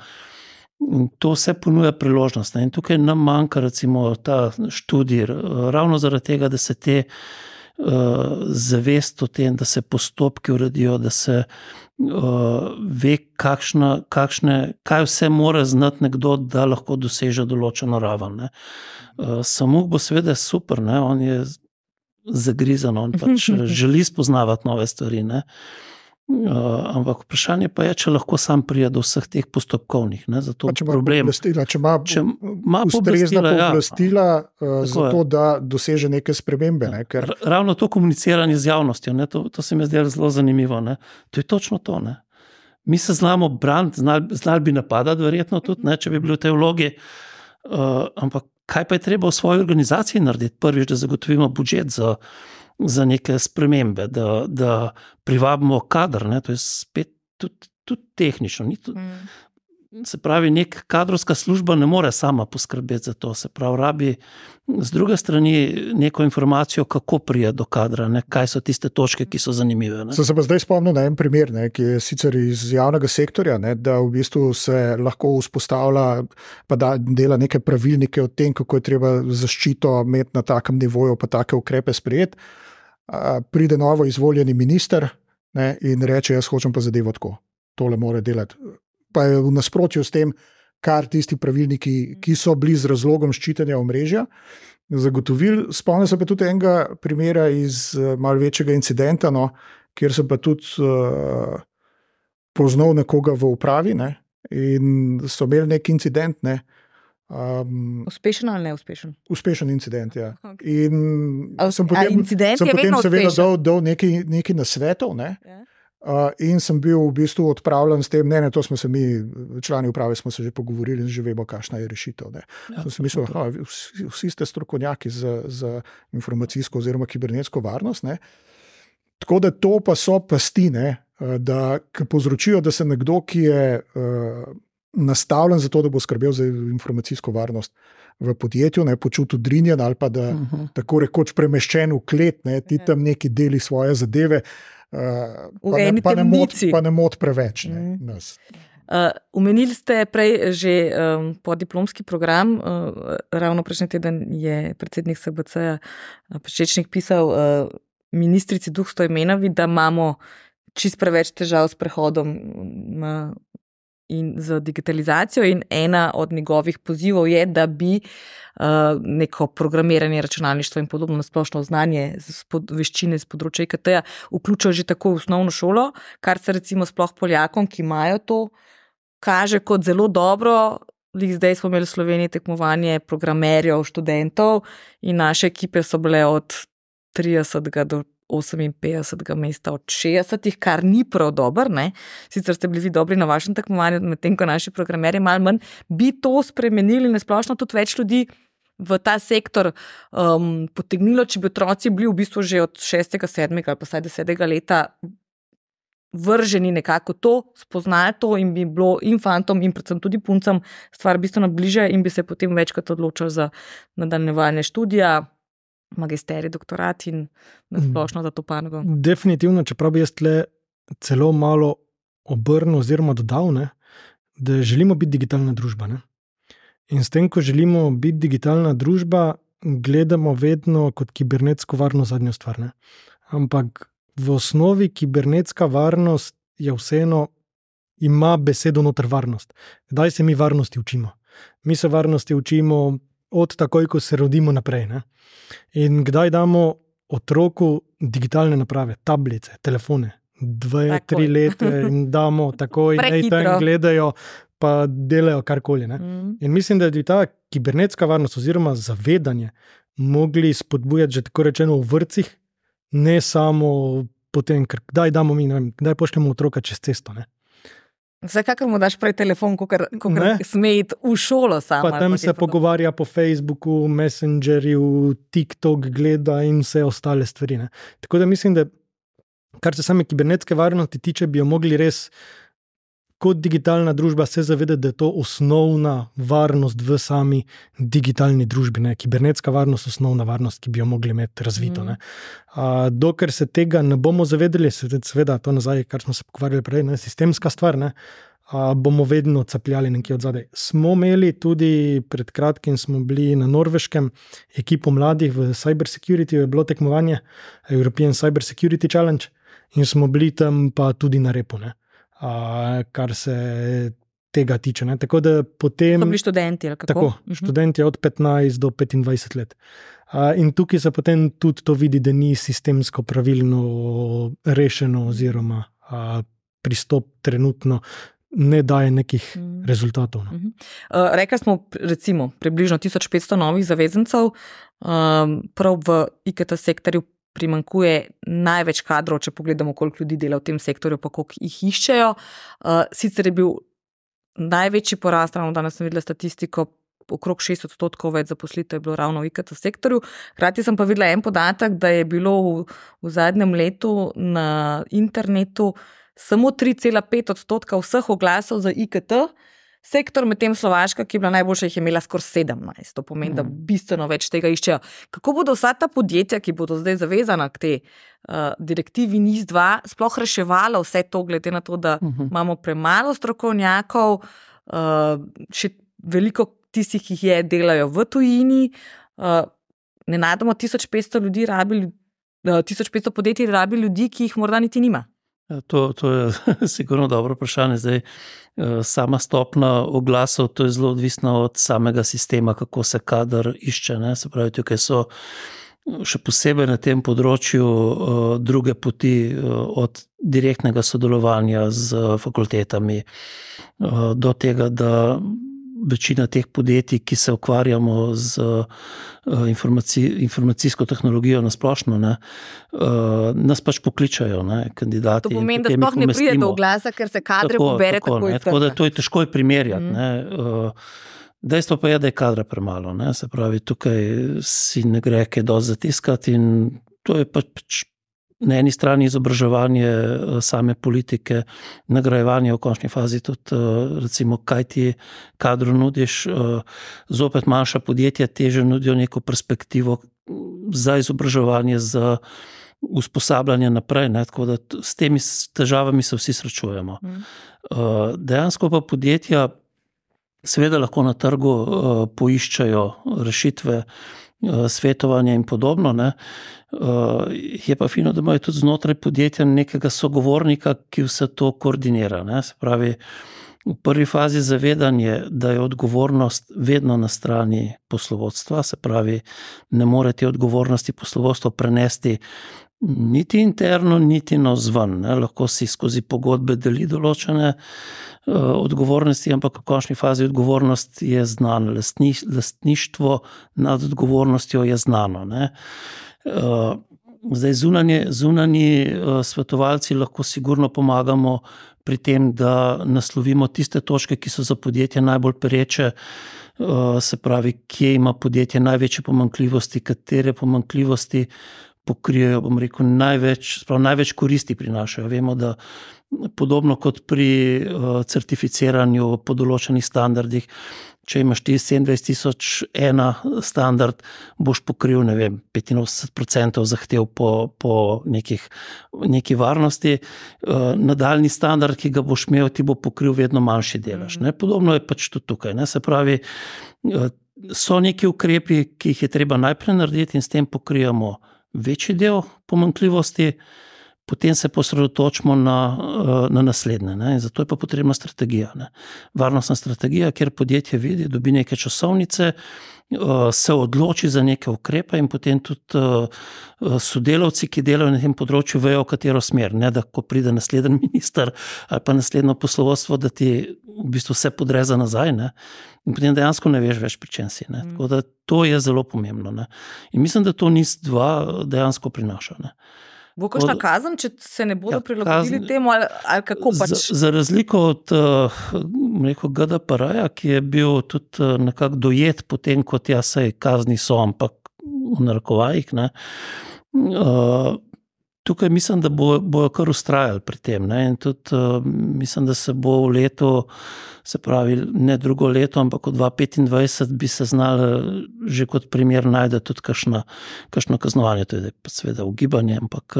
In to vse ponuja priložnost. Ne? In tukaj nam manjka recimo ta študij, ravno zaradi tega, da se te zavest o tem, da se postopki uredijo, da se ve, kaj vse mora znati nekdo, da lahko doseže določeno raven. Ne? Samuk bo seveda super, ne? On je zagrizan, on pač želi spoznavati nove stvari. Ne? Ampak vprašanje pa je, če lahko sam pride do vseh teh postopkovnih. Ne? Zato če ima problem. Če ima ustrezna pooblastila za to, da doseže neke spremembe. Ne? Ker... Ravno to komuniciranje z javnostjo, ne? To se mi zdelo zelo zanimivo. Ne? To je točno to. Ne? Mi se znamo braniti, znali bi napadati, verjetno tudi, ne? Če bi bili v tej vlogi. Ampak kaj pa je treba v svoji organizaciji narediti? Prvič, da zagotovimo budžet za neke spremembe, da privabimo kader, ne? To je spet tudi tehnično. Se pravi, nek kadrovska služba ne more sama poskrbeti za to, se pravi, rabi z druge strani neko informacijo, kako prije do kadra, ne? Kaj so tiste točke, ki so zanimive. Ne? Sem se pa zdaj spomnil na en primer, ne, ki je sicer iz javnega sektorja, ne, da v bistvu se lahko vzpostavlja, pa da dela neke pravilnike o tem, kako je treba zaščito imeti na takem nivoju, pa take ukrepe sprejeti. Pride novo izvoljeni minister, ne, in reče, jaz hočem pa zadevo tako. Tole mora delati. Pa je v nasprotju s tem, kar tisti pravilniki, ki so bili z razlogom ščitenja omrežja, zagotovili. Spomnim se pa tudi enega primera iz malo večjega incidenta, no, kjer sem pa tudi poznal nekoga v upravi, ne, in so imeli nek incident, ne. Uspešen ali neuspešen? Uspešen incident, ja. Okay. In sem potem seveda dal nekaj nasvetov, ne. Yeah. In sem bil v bistvu odpravljen s tem, to smo se mi, člani uprave smo se že pogovorili in že vemo, kakšna je rešitev. Ne. Ja, sem mislil, vsi ste strokovnjaki za informacijsko oziroma kibernetsko varnost. Ne. Tako da to pa so pasti, ne, da povzročijo, da se nekdo, ki je nastavljen za to, da bo skrbel za informacijsko varnost v podjetju, ne počuti udrinjen ali pa da tako rekoč premeščen v klet, ne, ti tam neki deli svoje zadeve, pa ne mot preveč. Ne, nas. Omenili ste prej že podiplomski program, ravno prejšnji teden je predsednik SBC Pečečnik pisal ministrici Duh Stojmenovi, da imamo čist preveč težav s prehodom in z digitalizacijo, in ena od njegovih pozivov je, da bi neko programiranje, računalništvo in podobno splošno znanje, veščine z področja IKT-ja vključil že tako v osnovno šolo, kar se recimo sploh Poljakom, ki imajo to, kaže kot zelo dobro. Zdaj smo imeli v Sloveniji tekmovanje programerjev, študentov in naše ekipe so bile od 30 do 58. mesta od 60, kar ni prav dober, ne. Sicer ste bili vi dobri na vašem tekmovanju, medtem ko naši programerji malo manj, bi to spremenili na splošno tudi več ljudi v ta sektor potegnilo, če bi otroci bili v bistvu že od 6., 7. ali pa vsaj 10. leta vrženi nekako to, spoznajo to in bi bilo in fantom in predvsem tudi puncam stvar bistveno bliže in bi se potem večkrat odločili za nadaljevanje študija, magisterij, doktorat in nasplošno za to panogo. Definitivno, čeprav bi jaz tle celo malo obrnil oziroma dodal, ne, da želimo biti digitalna družba. Ne. In s tem, ko želimo biti digitalna družba, gledamo vedno kot kibernetsko varnost zadnjo stvar. Ne. Ampak v osnovi kibernetska varnost je vseeno, ima besedo noter varnost. Kdaj se mi varnosti učimo? Mi se varnosti učimo od takoj, ko se rodimo naprej. Ne? In kdaj damo otroku digitalne naprave, tablice, telefone, 2-3 leta in damo takoj, naj tam gledajo, pa delajo karkoli. Ne? In mislim, da bi ta kibernetska varnost oziroma zavedanje mogli spodbujati že tako rečeno v vrtcih, ne samo potem, ker kdaj damo mi, ne vem, kdaj pošljemo otroka čez cesto. Ne? Vsekakor mu daš prej telefon, ko sme iti v šolo samo. Pa tam se pogovarja po Facebooku, Messengerju, TikTok gleda in vse ostale stvari. Ne? Tako da mislim, da kar se same kibernetske varnosti tiče, bi jo mogli res kot digitalna družba se zavedati, da je to osnovna varnost v sami digitalni družbi. Ne? Kibernetska varnost, osnovna varnost, ki bi jo mogli imeti razvito. Ne? Dokler se tega ne bomo zavedali, seveda to nazaj, kar smo se pogovarjali prej, ne? Sistemska stvar, ne? bomo vedno capljali nekje od zadaj. Smo imeli tudi pred kratkim, smo bili na Norveškem, ekipo mladih v Cyber Security, je bilo tekmovanje European Cyber Security Challenge in smo bili tam pa tudi na repu, ne? Kar se tega tiče. Ne? Tako da potem... So bili študenti, ali kako? Tako, študenti od 15 do 25 let. In tukaj se potem tudi to vidi, da ni sistemsko pravilno rešeno oziroma pristop trenutno ne daje nekih rezultatov. No. Rekli smo, recimo, približno 1500 novih zavezancev, prav v IKT sektorju primankuje največ kadrov, če pogledamo, koliko ljudi dela v tem sektorju, pa koliko jih iščejo. Sicer je bil največji porast, ravno danes sem videla statistiko, okrog 6% več zaposlitev je bilo ravno v IKT sektorju. Hkrati sem pa videla en podatek, da je bilo v zadnjem letu na internetu samo 3,5% vseh oglasov za IKT sektor, medtem Slovaška, ki je bila najboljša, jih je imela skoraj 17. To pomeni, da bistveno več tega iščejo. Kako bodo vsa ta podjetja, ki bodo zdaj zavezana k tej direktivi NIS-2, sploh reševala vse to, glede na to, da imamo premalo strokovnjakov, še veliko tistih, ki jih delajo v tujini, nenadoma 1500 podjetij rabi ljudi, ki jih morda niti nima. To je sigurno dobro vprašanje. Zdaj, sama stopna oglasov, to je zelo odvisno od samega sistema, kako se kader išče. Ne? Se pravi, tukaj so še posebej na tem področju druge poti od direktnega sodelovanja z fakultetami do tega, da večina teh podjetij, ki se ukvarjamo z informacijsko tehnologijo na splošno, nas pač pokličajo, kandidati. To pomeni, da sploh ne pride do oglasa, ker se kadre pobere tako iz trga. Tako da to je težko primerjati. Dejstvo pa je, da je kadra premalo. Se pravi, tukaj si ne gre kaj dosti zatiskati in to je pač na eni strani izobraževanje same politike, nagrajevanje v končni fazi tudi, recimo, kaj ti kadru nudiš, zopet manjša podjetja teže nudijo neko perspektivo za izobraževanje, za usposabljanje naprej, tako da s temi težavami se vsi srečujemo. Dejansko pa podjetja seveda lahko na trgu poiščajo rešitve, svetovanje in podobno. Je pa fino, da imajo tudi znotraj podjetja nekega sogovornika, ki vse to koordinira. Se pravi, v prvi fazi zavedanje, da je odgovornost vedno na strani poslovodstva, se pravi, ne more te odgovornosti poslovodstvo prenesti niti interno, niti navzven. Lahko si skozi pogodbe deli določene odgovornosti, ampak v končni fazi odgovornost je znana. Lastništvo nad odgovornostjo je znano. Zdaj zunanji svetovalci lahko sigurno pomagamo pri tem, da naslovimo tiste točke, ki so za podjetje najbolj pereče, se pravi, kje ima podjetje največje pomanjkljivosti, katere pomanjkljivosti pokrijejo, bom rekel, največ koristi prinašajo. Vemo, da podobno kot pri certificiranju po določenih standardih, če imaš ti 27.001 standard, boš pokril, 85% zahtev po neki varnosti. Nadaljni standard, ki ga boš imel, ti bo pokril vedno manjši delež. Podobno je pač tudi tukaj. Se pravi, so neki ukrepi, ki jih je treba najprej narediti in s tem pokrijemo večji del pomanjkljivosti, potem se posredotočimo na naslednje. In zato je pa potrebna strategija. Varnostna strategija, kjer podjetje vidi, dobi neke časovnice, se odloči za neke ukrepe in potem tudi sodelavci, ki delajo na tem področju, vejo, v katero smer. Ne, da ko pride naslednji minister ali pa naslednjo poslovodstvo, da ti v bistvu vse podreza nazaj. In potem dejansko ne veš več, pri čem si. Tako da to je zelo pomembno. In mislim, da to NIS-2 dejansko prinaša. Bo kakšna kazen, če se ne bodo prilagodili temu, ali kako pač? Za razliko od GDPR-ja, ki je bil tudi nekako dojet potem, kot saj kazni so, ampak v narekovajih, tukaj mislim, da bojo kar ustrajali pri tem. In tudi mislim, da se bo v letu, se pravi, ne drugo leto, ampak v 2025 bi se znali že kot primer najde tudi kakšno kaznovanje. To je seveda ugibanje, ampak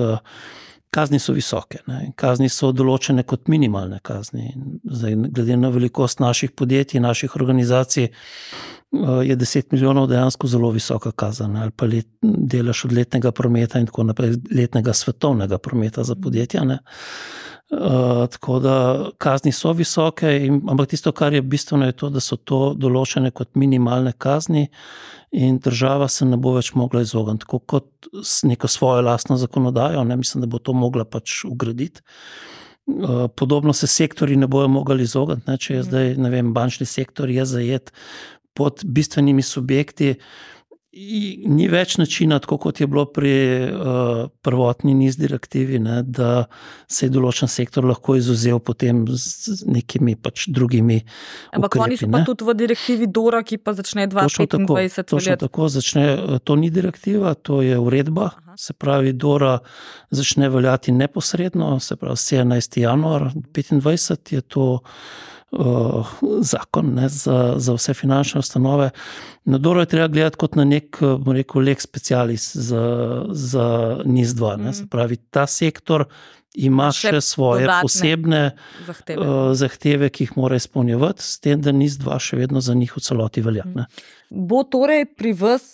kazni so visoke. Ne? Kazni so določene kot minimalne kazni. Zdaj, glede na velikost naših podjetij, naših organizacij, je 10 milijonov dejansko zelo visoka kazen. Ali pa delež od letnega prometa in tako naprej, letnega svetovnega prometa za podjetja. Ne? Tako da kazni so visoke, ampak tisto, kar je bistveno, je to, da so to določene kot minimalne kazni in država se ne bo več mogla izogniti, tako kot s neko svojo lastno zakonodajo, ne, mislim, da bo to mogla pač ugraditi. Podobno se sektorji ne bojo mogli izogniti, ne, če je zdaj, ne vem, bančni sektor je zajet pod bistvenimi subjekti, ni več načina, tako kot je bilo pri prvotni NIS direktivi, ne, da se je določen sektor lahko izuzel potem z nekimi pač drugimi ampak ukrepi. Oni so pa tudi v direktivi DORA, ki pa začne 2025. Točno tako začne, to ni direktiva, to je uredba. Se pravi, DORA začne veljati neposredno, se pravi 17. januar 2025 je to zakon, ne, za vse finančne ustanove. Na DORA je treba gledati kot na nek, bom rekel, lex specialis za NIS-2. Ne. Se pravi, ta sektor ima še svoje posebne zahteve, ki jih mora izpolnjevati, s tem, da NIS-2 še vedno za njih v celoti velja. Ne. Bo torej pri vas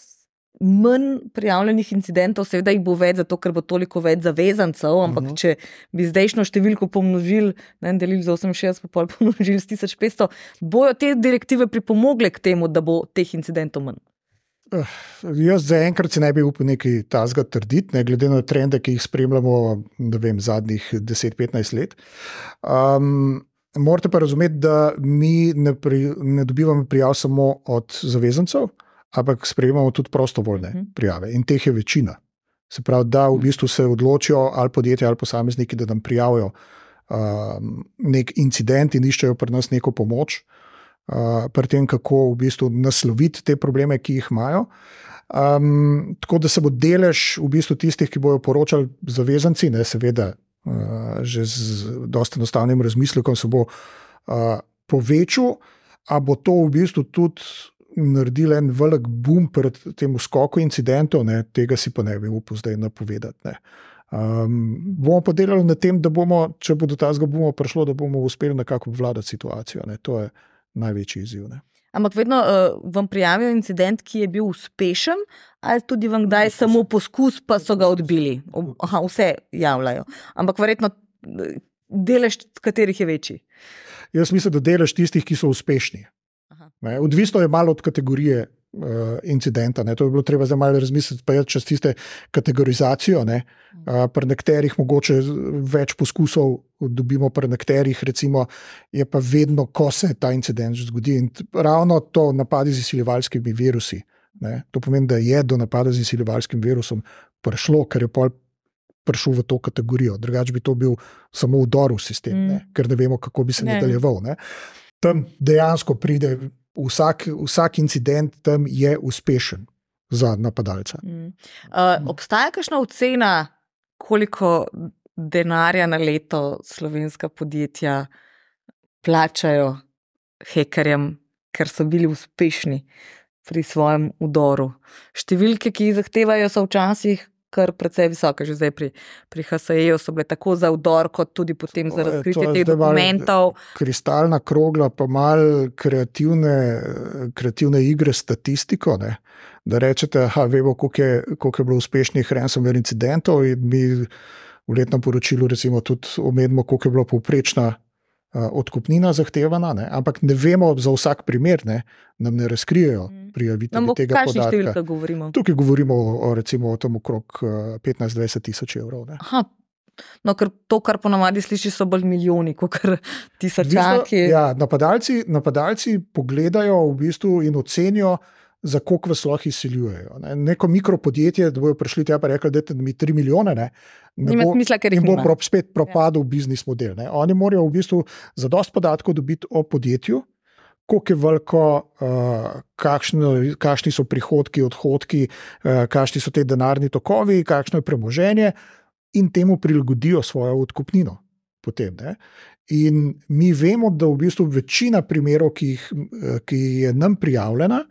manj prijavljenih incidentov, seveda jih bo več, zato ker bo toliko več zavezancev, ampak če bi zdajšnjo številko pomnožili, delili za 68, pa pomnožili s 1500, bojo te direktive pripomogle k temu, da bo teh incidentov manj? Jaz zaenkrat si ne bi upal nekaj tazga trditi, ne, glede na trende, ki jih spremljamo, ne vem, zadnjih 10-15 let. Morate pa razumeti, da mi ne dobivamo prijav samo od zavezancev, ampak sprejemamo tudi prostovoljne prijave in teh je večina. Se pravi, da v bistvu se odločijo ali podjetja ali posamezniki, da nam prijavijo nek incident in iščejo pri nas neko pomoč, pri tem, kako v bistvu nasloviti te probleme, ki jih imajo. Tako da se bo delež v bistvu tistih, ki bojo poročali zavezanci, ne, seveda že z dosti enostavnim razmislekom se bo povečal, a bo to v bistvu tudi naredil en velik boom pred tem skoku incidentov, ne, tega si pa ne bi upal zdaj napovedati. Ne. Bomo pa delali na tem, da bomo, če bo do tazga bomo prišlo, da bomo uspeli nekako vladati situacijo. Ne. To je največji izziv. Ne. Ampak vedno vam prijavijo incident, ki je bil uspešen, ali tudi vam kdaj samo poskus, pa so ga odbili? Vse javljajo. Ampak verjetno delež katerih je večji? Jaz mislim, da delež tistih, ki so uspešni. Ne, odvisno je malo od kategorije incidenta. Ne. To bi bilo treba zdaj malo razmisliti, pa je čez tiste kategorizacijo. Ne. Pri nekaterih mogoče več poskusov dobimo, pri nekaterih recimo je pa vedno, ko se ta incident zgodi. In ravno to napadi z izsiljevalskimi virusi. Ne. To pomeni, da je do napada z izsiljevalskim virusom prišlo, ker je pol prišel v to kategorijo. Drugače bi to bil samo vdor v sistem, ne. Ker ne vemo, kako bi se nadaljeval. Ne. Tam dejansko pride vsak incident, tam je uspešen za napadalca. Obstaja kakšna ocena, koliko denarja na leto slovenska podjetja plačajo hekerjem, ker so bili uspešni pri svojem vdoru? Številke, ki jih zahtevajo, so včasih kar precej visoke, že zdaj pri HSE-ju so bile tako za vdor, kot tudi potem za razkritje teh dokumentov. Kristalna krogla, pa malo kreativne igre s statistiko, ne? Da rečete, vemo, koliko je bilo uspešnih ransomware incidentov in mi v letnem poročilu recimo tudi omenimo, koliko je bila povprečna odkupnina zahtevana, ne? Ampak ne vemo za vsak primer, ne? Nam ne razkrijejo prijavitelji tega podatka. Kakšni številka govorimo? Tukaj govorimo recimo o tem okrog 15-20 tisoč evrov. Ne? Aha, no, ker to, kar ponavadi sliši, so bolj milijoni, kot tisočaki. Ja, napadalci pogledajo v bistvu in ocenijo, za koliko vas lahko izsiljujejo. Ne? Neko mikropodjetje, da bojo prišli tja pa rekli, dajte mi 3 milijone, ne? Nima smisla, ker jih nima. In bo spet propadel biznis model. Ne? Oni morajo v bistvu za dosti podatkov dobiti o podjetju, koliko je veliko, kakšni so prihodki, odhodki, kakšni so te denarni tokovi, kakšno je premoženje in temu prilagodijo svojo odkupnino potem. Ne? In mi vemo, da v bistvu večina primerov, ki je nam prijavljena,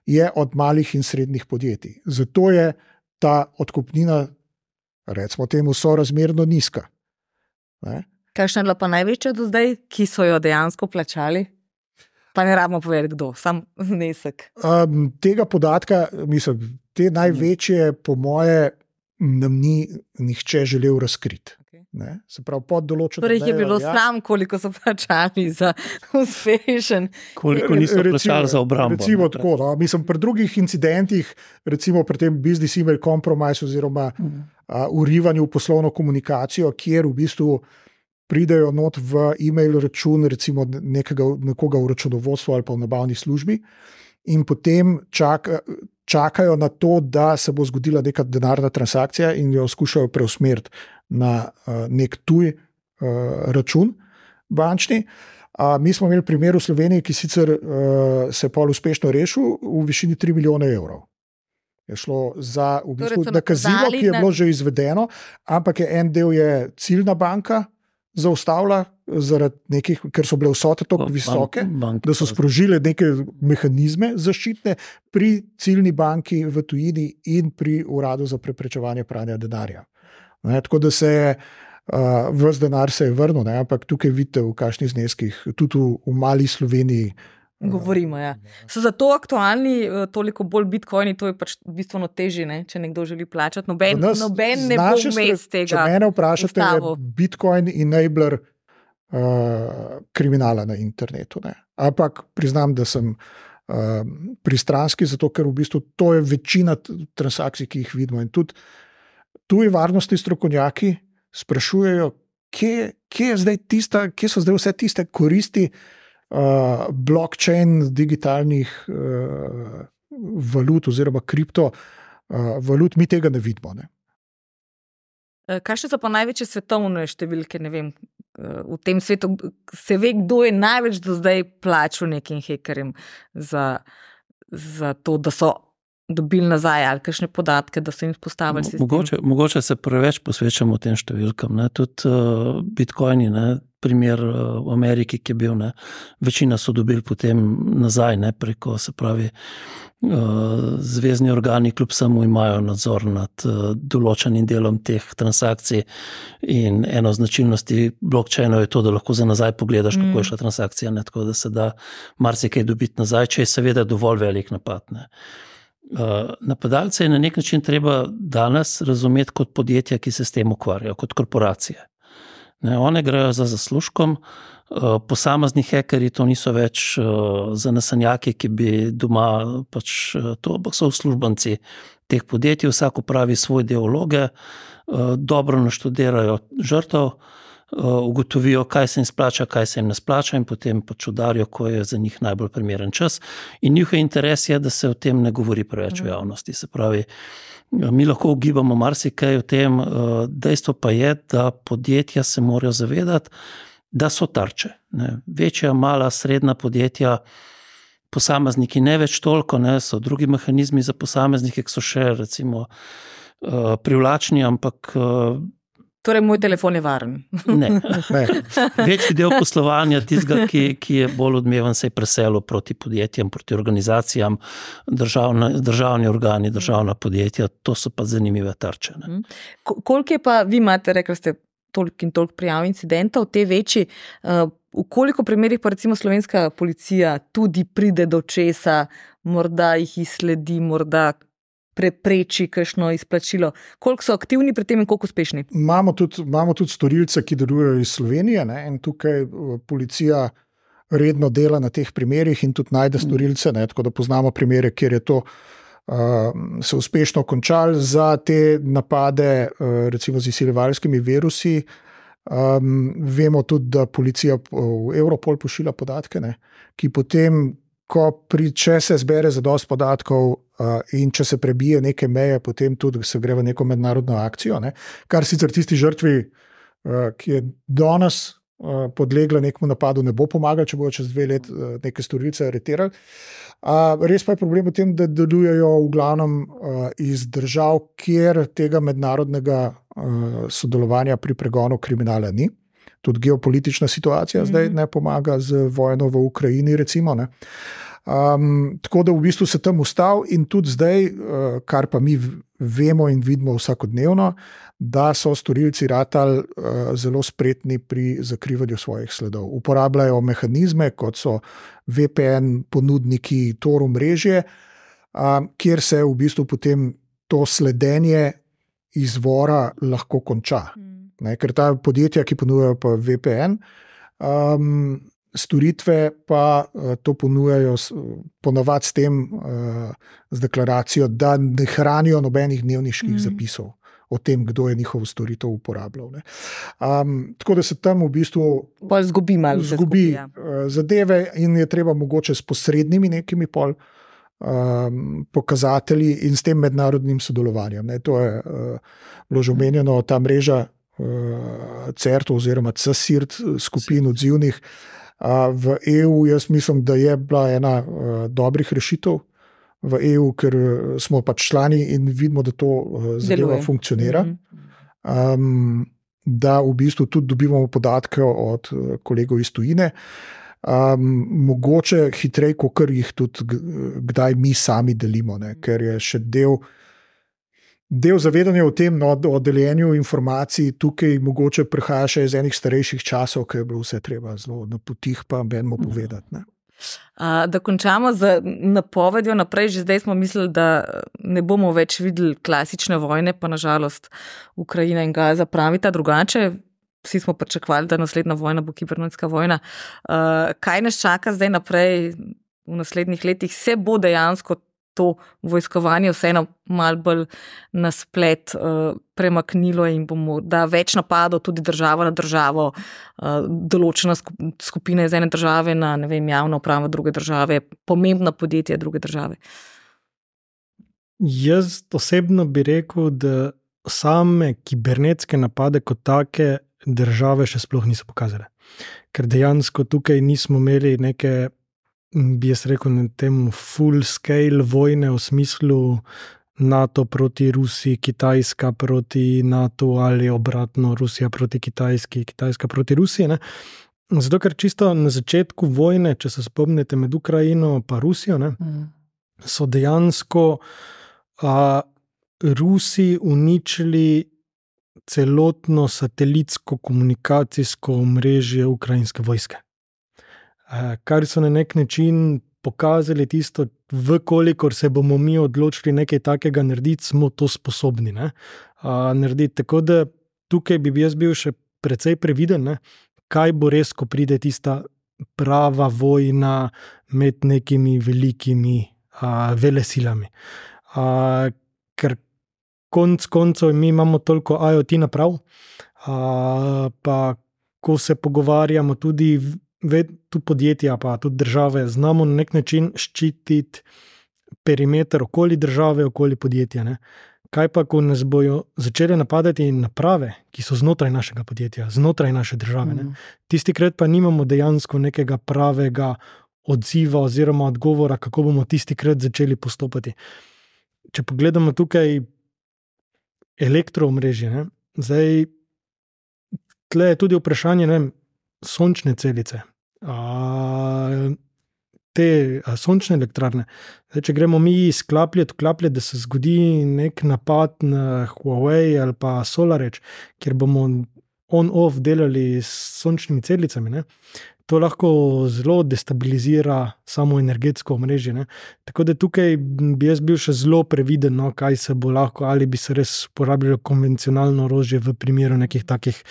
je od malih in srednjih podjetij. Zato je ta odkupnina recimo temu, sorazmerno nizka. Ne? Kakšna je bila pa največja do zdaj, ki so jo dejansko plačali? Pa ne rabimo povedati, kdo, sam znesek. Tega podatka, mislim, te največje, po moje, nam ni nihče želel razkriti. Ne? Se pravi, pod določeno. Torej je bilo sram, koliko so plačali za uspešen. Koliko niso plačali za obrambo. Recimo tako, no? Mislim, pri drugih incidentih, recimo pri tem business email compromise oziroma urivanju v poslovno komunikacijo, kjer v bistvu pridejo not v e-mail račun, recimo nekoga v računovodstvu ali pa v nabavni službi in potem čakajo na to, da se bo zgodila neka denarna transakcija in jo skušajo preusmeriti na nek tuj račun bančni. Mi smo imeli primer v Sloveniji, ki sicer se je pol uspešno rešil v višini 3 milijone evrov. Je šlo za v bistvu nakazilo, ki je bilo že izvedeno, ampak en del je ciljna banka zaustavila, zaradi nekih, ker so bile vsote tako visoke, da so sprožile neke mehanizme zaščitne pri ciljni banki v tujini in pri Uradu za preprečevanje pranja denarja. Ne, tako da se je ves denar se je vrnil, ne, ampak tukaj vidite v kakšnih zneskih, tudi v mali Sloveniji. Govorimo, ja. So zato aktualni toliko bolj bitcoini, to je pač bistveno težje, ne? Če nekdo želi plačati. Noben ne bo vmes tega. Če mene vprašate, je bitcoin enabler kriminala na internetu. Ne? Ampak priznam, da sem pristranski, zato ker v bistvu to je večina transakcij, ki jih vidimo. In tudi tuji varnostni strokovnjaki sprašujejo, kje so zdaj vse tiste koristi blockchain digitalnih valut oziroma kriptovalut, mi tega ne vidimo. Ne? Kakšne so pa največje svetovne številke, ne vem, v tem svetu se ve, kdo je največ do zdaj plačal nekim hekerjem za to, da so dobili nazaj ali kakšne podatke, da so jim postavili sistem? Mogoče se preveč posvečamo tem številkam. Ne? Tudi bitcoini, ne? Primer v Ameriki, ki je bil, ne? Večina so dobili potem nazaj, ne? Preko, se pravi, zvezni organi kljub samo imajo nadzor nad določenim delom teh transakcij in eno značilnosti blockchainov je to, da lahko za nazaj pogledaš, kako je šla transakcija, ne? Tako da se da marsikaj dobiti nazaj, če je seveda dovolj velik napad. Ne? Napadalce je na nek način treba danes razumeti kot podjetja, ki se s tem ukvarjajo, kot korporacije. Ne, one grejo za zaslužkom, posamezni hekerji to niso več zanesenjaki, ki bi doma pač to, ampak so uslužbenci teh podjetij, vsak opravi svoj del vloge, dobro naštudirajo žrtev, ugotovijo, kaj se jim splača, kaj se jim ne splača in potem pač udarijo, ko je za njih najbolj primeren čas. In njihov interes je, da se o tem ne govori preveč v javnosti. Se pravi, mi lahko ugibamo marsikaj o tem, dejstvo pa je, da podjetja se morajo zavedati, da so tarče. Ne. Večja, mala, srednja podjetja, posamezniki ne več toliko, ne, so drugi mehanizmi za posameznike, ki so še recimo privlačni, ampak torej, moj telefon je varen. Ne. Večji del poslovanja tistega, ki je bolj odmeven, se je preselil proti podjetjem, proti organizacijam, državni organi, državna podjetja, to so pa zanimive tarče. Ne. Koliko je pa, vi imate, rekli ste, toliko in toliko prijav incidentov, te večji, v koliko primerih pa recimo slovenska policija tudi pride do česa, morda jih izsledi, morda prepreči kakšno izplačilo. Koliko so aktivni pri tem in koliko uspešni? Imamo tudi storilce, ki delujejo iz Slovenije, ne? In tukaj policija redno dela na teh primerih in tudi najde storilce, ne? Tako da poznamo primere, kjer je to se uspešno končalo. Za te napade, recimo z izsiljevalskimi virusi, vemo tudi, da policija v Europol pošilja podatke, ne? Ki potem, če se zbere zadosti podatkov in če se prebije neke meje, potem tudi se gre v neko mednarodno akcijo, ne? Kar sicer tisti žrtvi, ki je danes podlegla nekemu napadu, ne bo pomagal, če bojo čez 2 let neke storilce aretirali. Res pa je problem v tem, da delujejo v glavnem iz držav, kjer tega mednarodnega sodelovanja pri pregonu kriminala ni. Tudi geopolitična situacija zdaj ne pomaga z vojno v Ukrajini, recimo. Ne. Tako da v bistvu se tam ustav in tudi zdaj, kar pa mi vemo in vidimo vsakodnevno, da so storilci ratali zelo spretni pri zakrivanju svojih sledov. Uporabljajo mehanizme, kot so VPN, ponudniki, Tor omrežje, kjer se v bistvu potem to sledenje izvora lahko konča. Ker ta podjetja, ki ponujajo pa VPN, storitve pa to ponujajo ponavadi s tem, z deklaracijo, da ne hranijo nobenih dnevniških zapisov o tem, kdo je njihovo storitev uporabljal. Tako da se tam v bistvu zgubi zadeve in je treba mogoče s posrednimi nekimi pokazatelji in s tem mednarodnim sodelovanjem. To je bilo že omenjeno, ta mreža CERT oziroma CSIRT skupin odzivnih v EU. Jaz mislim, da je bila ena dobrih rešitev v EU, ker smo pač člani in vidimo, da to zadeva funkcionira. Da v bistvu tudi dobivamo podatke od kolegov iz tujine, mogoče hitreje, kot jih tudi kdaj mi sami delimo, ker je še del zavedanja o tem, o deljenju informacij tukaj mogoče prihaja še iz enih starejših časov, ker je bilo vse treba zelo na potih pa benimo povedati. Da končamo z napovedjo naprej. Že zdaj smo mislili, da ne bomo več videli klasične vojne, pa nažalost Ukrajina in Gaza pravita drugače. Vsi smo pričakovali, da naslednja vojna bo kibernetska vojna. Kaj nas čaka zdaj naprej v naslednjih letih? Se bo dejansko to vojskovanje vseeno malo bolj na splet premaknilo in bomo, da več napadov tudi država na državo, določena skupina iz ene države na, ne vem, javna uprava druge države, pomembna podjetja druge države? Jaz osebno bi rekel, da same kibernetske napade kot take države še sploh niso pokazale. Ker dejansko tukaj nismo imeli neke, bi jaz rekel, na tem full scale vojne v smislu NATO proti Rusiji, Kitajska proti NATO ali obratno Rusija proti Kitajski, Kitajska proti Rusiji. Zato, ker čisto na začetku vojne, če se spomnite med Ukrajino pa Rusijo, so dejansko Rusi uničili celotno satelitsko komunikacijsko omrežje ukrajinske vojske. Kar so na nek način pokazali tisto, vkolikor se bomo mi odločili nekaj takega narediti, smo to sposobni narediti. Tako da tukaj bi jaz bil še precej previden, kaj bo res, ko pride tista prava vojna med nekimi velikimi velesilami. Ker konc koncev mi imamo toliko IoT naprav, pa ko se pogovarjamo tudi podjetja, pa tudi države, znamo na nek način ščititi perimeter okoli države, okoli podjetja. Kaj pa, ko nas bojo začele napadati naprave, ki so znotraj našega podjetja, znotraj naše države. Tistikrat pa nimamo dejansko nekega pravega odziva oziroma odgovora, kako bomo tistikrat začeli postopati. Če pogledamo tukaj elektroomrežje, zdaj tle je tudi vprašanje, sončne celice, te sončne elektrarne. Zdaj, če gremo mi vklapljati, da se zgodi nek napad na Huawei ali pa SolarEdge, kjer bomo on-off delali s sončnimi celicami, to lahko zelo destabilizira samo energetsko omrežje. Tako da tukaj bi jaz bil še zelo previden, kaj se bo lahko, ali bi se res uporabljalo konvencionalno orožje v primeru nekih takih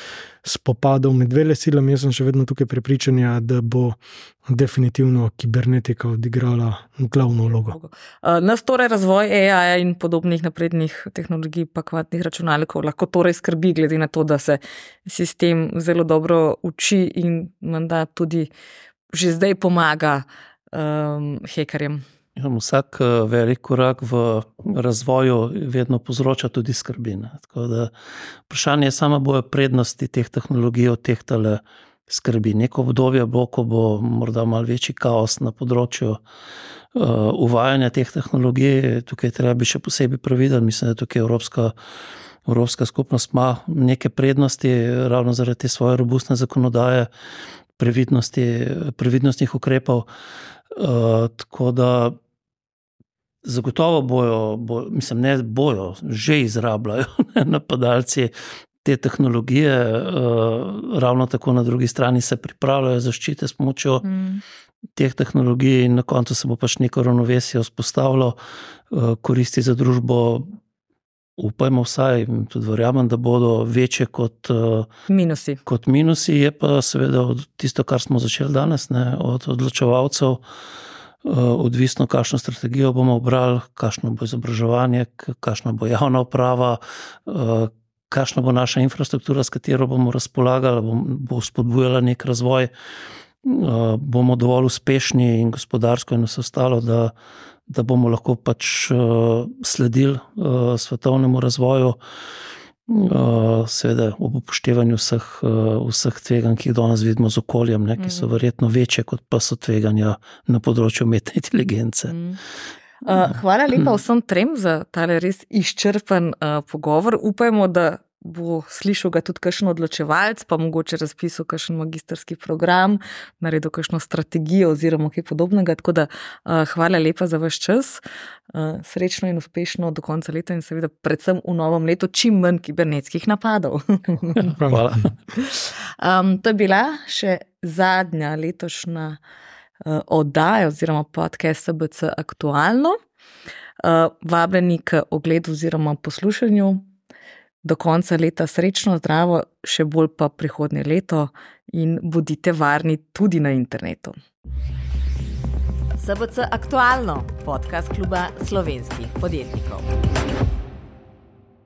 spopadov med velesilami. Jaz sem še vedno tukaj prepričanja, da bo definitivno kibernetika odigrala glavno vlogo. Nas torej razvoj AI in podobnih naprednih tehnologij pa kvantnih računalnikov lahko torej skrbi, glede na to, da se sistem zelo dobro uči in menda tudi že zdaj pomaga hekerjem. Vsak velik korak v razvoju vedno povzroča tudi skrbi. Tako da vprašanje je samo, bojo prednosti teh tehnologij od teh tale skrbi. Neko obdobje bo, ko bo morda malo večji kaos na področju uvajanja teh tehnologij. Tukaj treba bi še posebej previden. Mislim, da tukaj Evropska skupnost ima neke prednosti ravno zaradi te svoje robustne zakonodaje, previdnostnih ukrepov. Tako da Zagotovo bojo, že izrabljajo napadalci te tehnologije, ravno tako na drugi strani se pripravljajo zaščite s pomočjo teh tehnologij in na koncu se bo pač neko ravnovesje vzpostavilo, koristi za družbo, upajmo vsaj, tudi verjamem, da bodo večje kot minusi, je pa seveda tisto, kar smo začeli danes, ne, od odločevalcev, odvisno, kakšno strategijo bomo obrali, kakšno bo izobraževanje, kakšna bo javna uprava, kakšna bo naša infrastruktura, s katero bomo razpolagali, bo spodbujala nek razvoj, bomo dovolj uspešni in gospodarsko in vse ostalo, da bomo lahko pač sledili svetovnemu razvoju, seveda ob upoštevanju vseh tveganj, ki jih danes vidimo z okoljem, ne, ki so verjetno večje, kot pa so tveganja na področju umetne inteligence. Hvala lepa vsem trem za tale res izčrpen pogovor. Upajmo, da bo slišal ga tudi kakšen odločevalc, pa mogoče razpisal kakšen magistrski program, naredil kakšno strategijo oziroma kaj podobnega. Tako da hvala lepa za vaš čas. Srečno in uspešno do konca leta in seveda predvsem v novem letu čim manj kibernetskih napadov. Hvala. To je bila še zadnja letošnja oddaja oziroma podcast SBC Aktualno. Vabljeni k ogledu oziroma poslušanju. Do konca leta srečno, zdravo, še bolj pa prihodnje leto in bodite varni tudi na internetu. SBC Aktualno, podcast kluba slovenskih podjetnikov.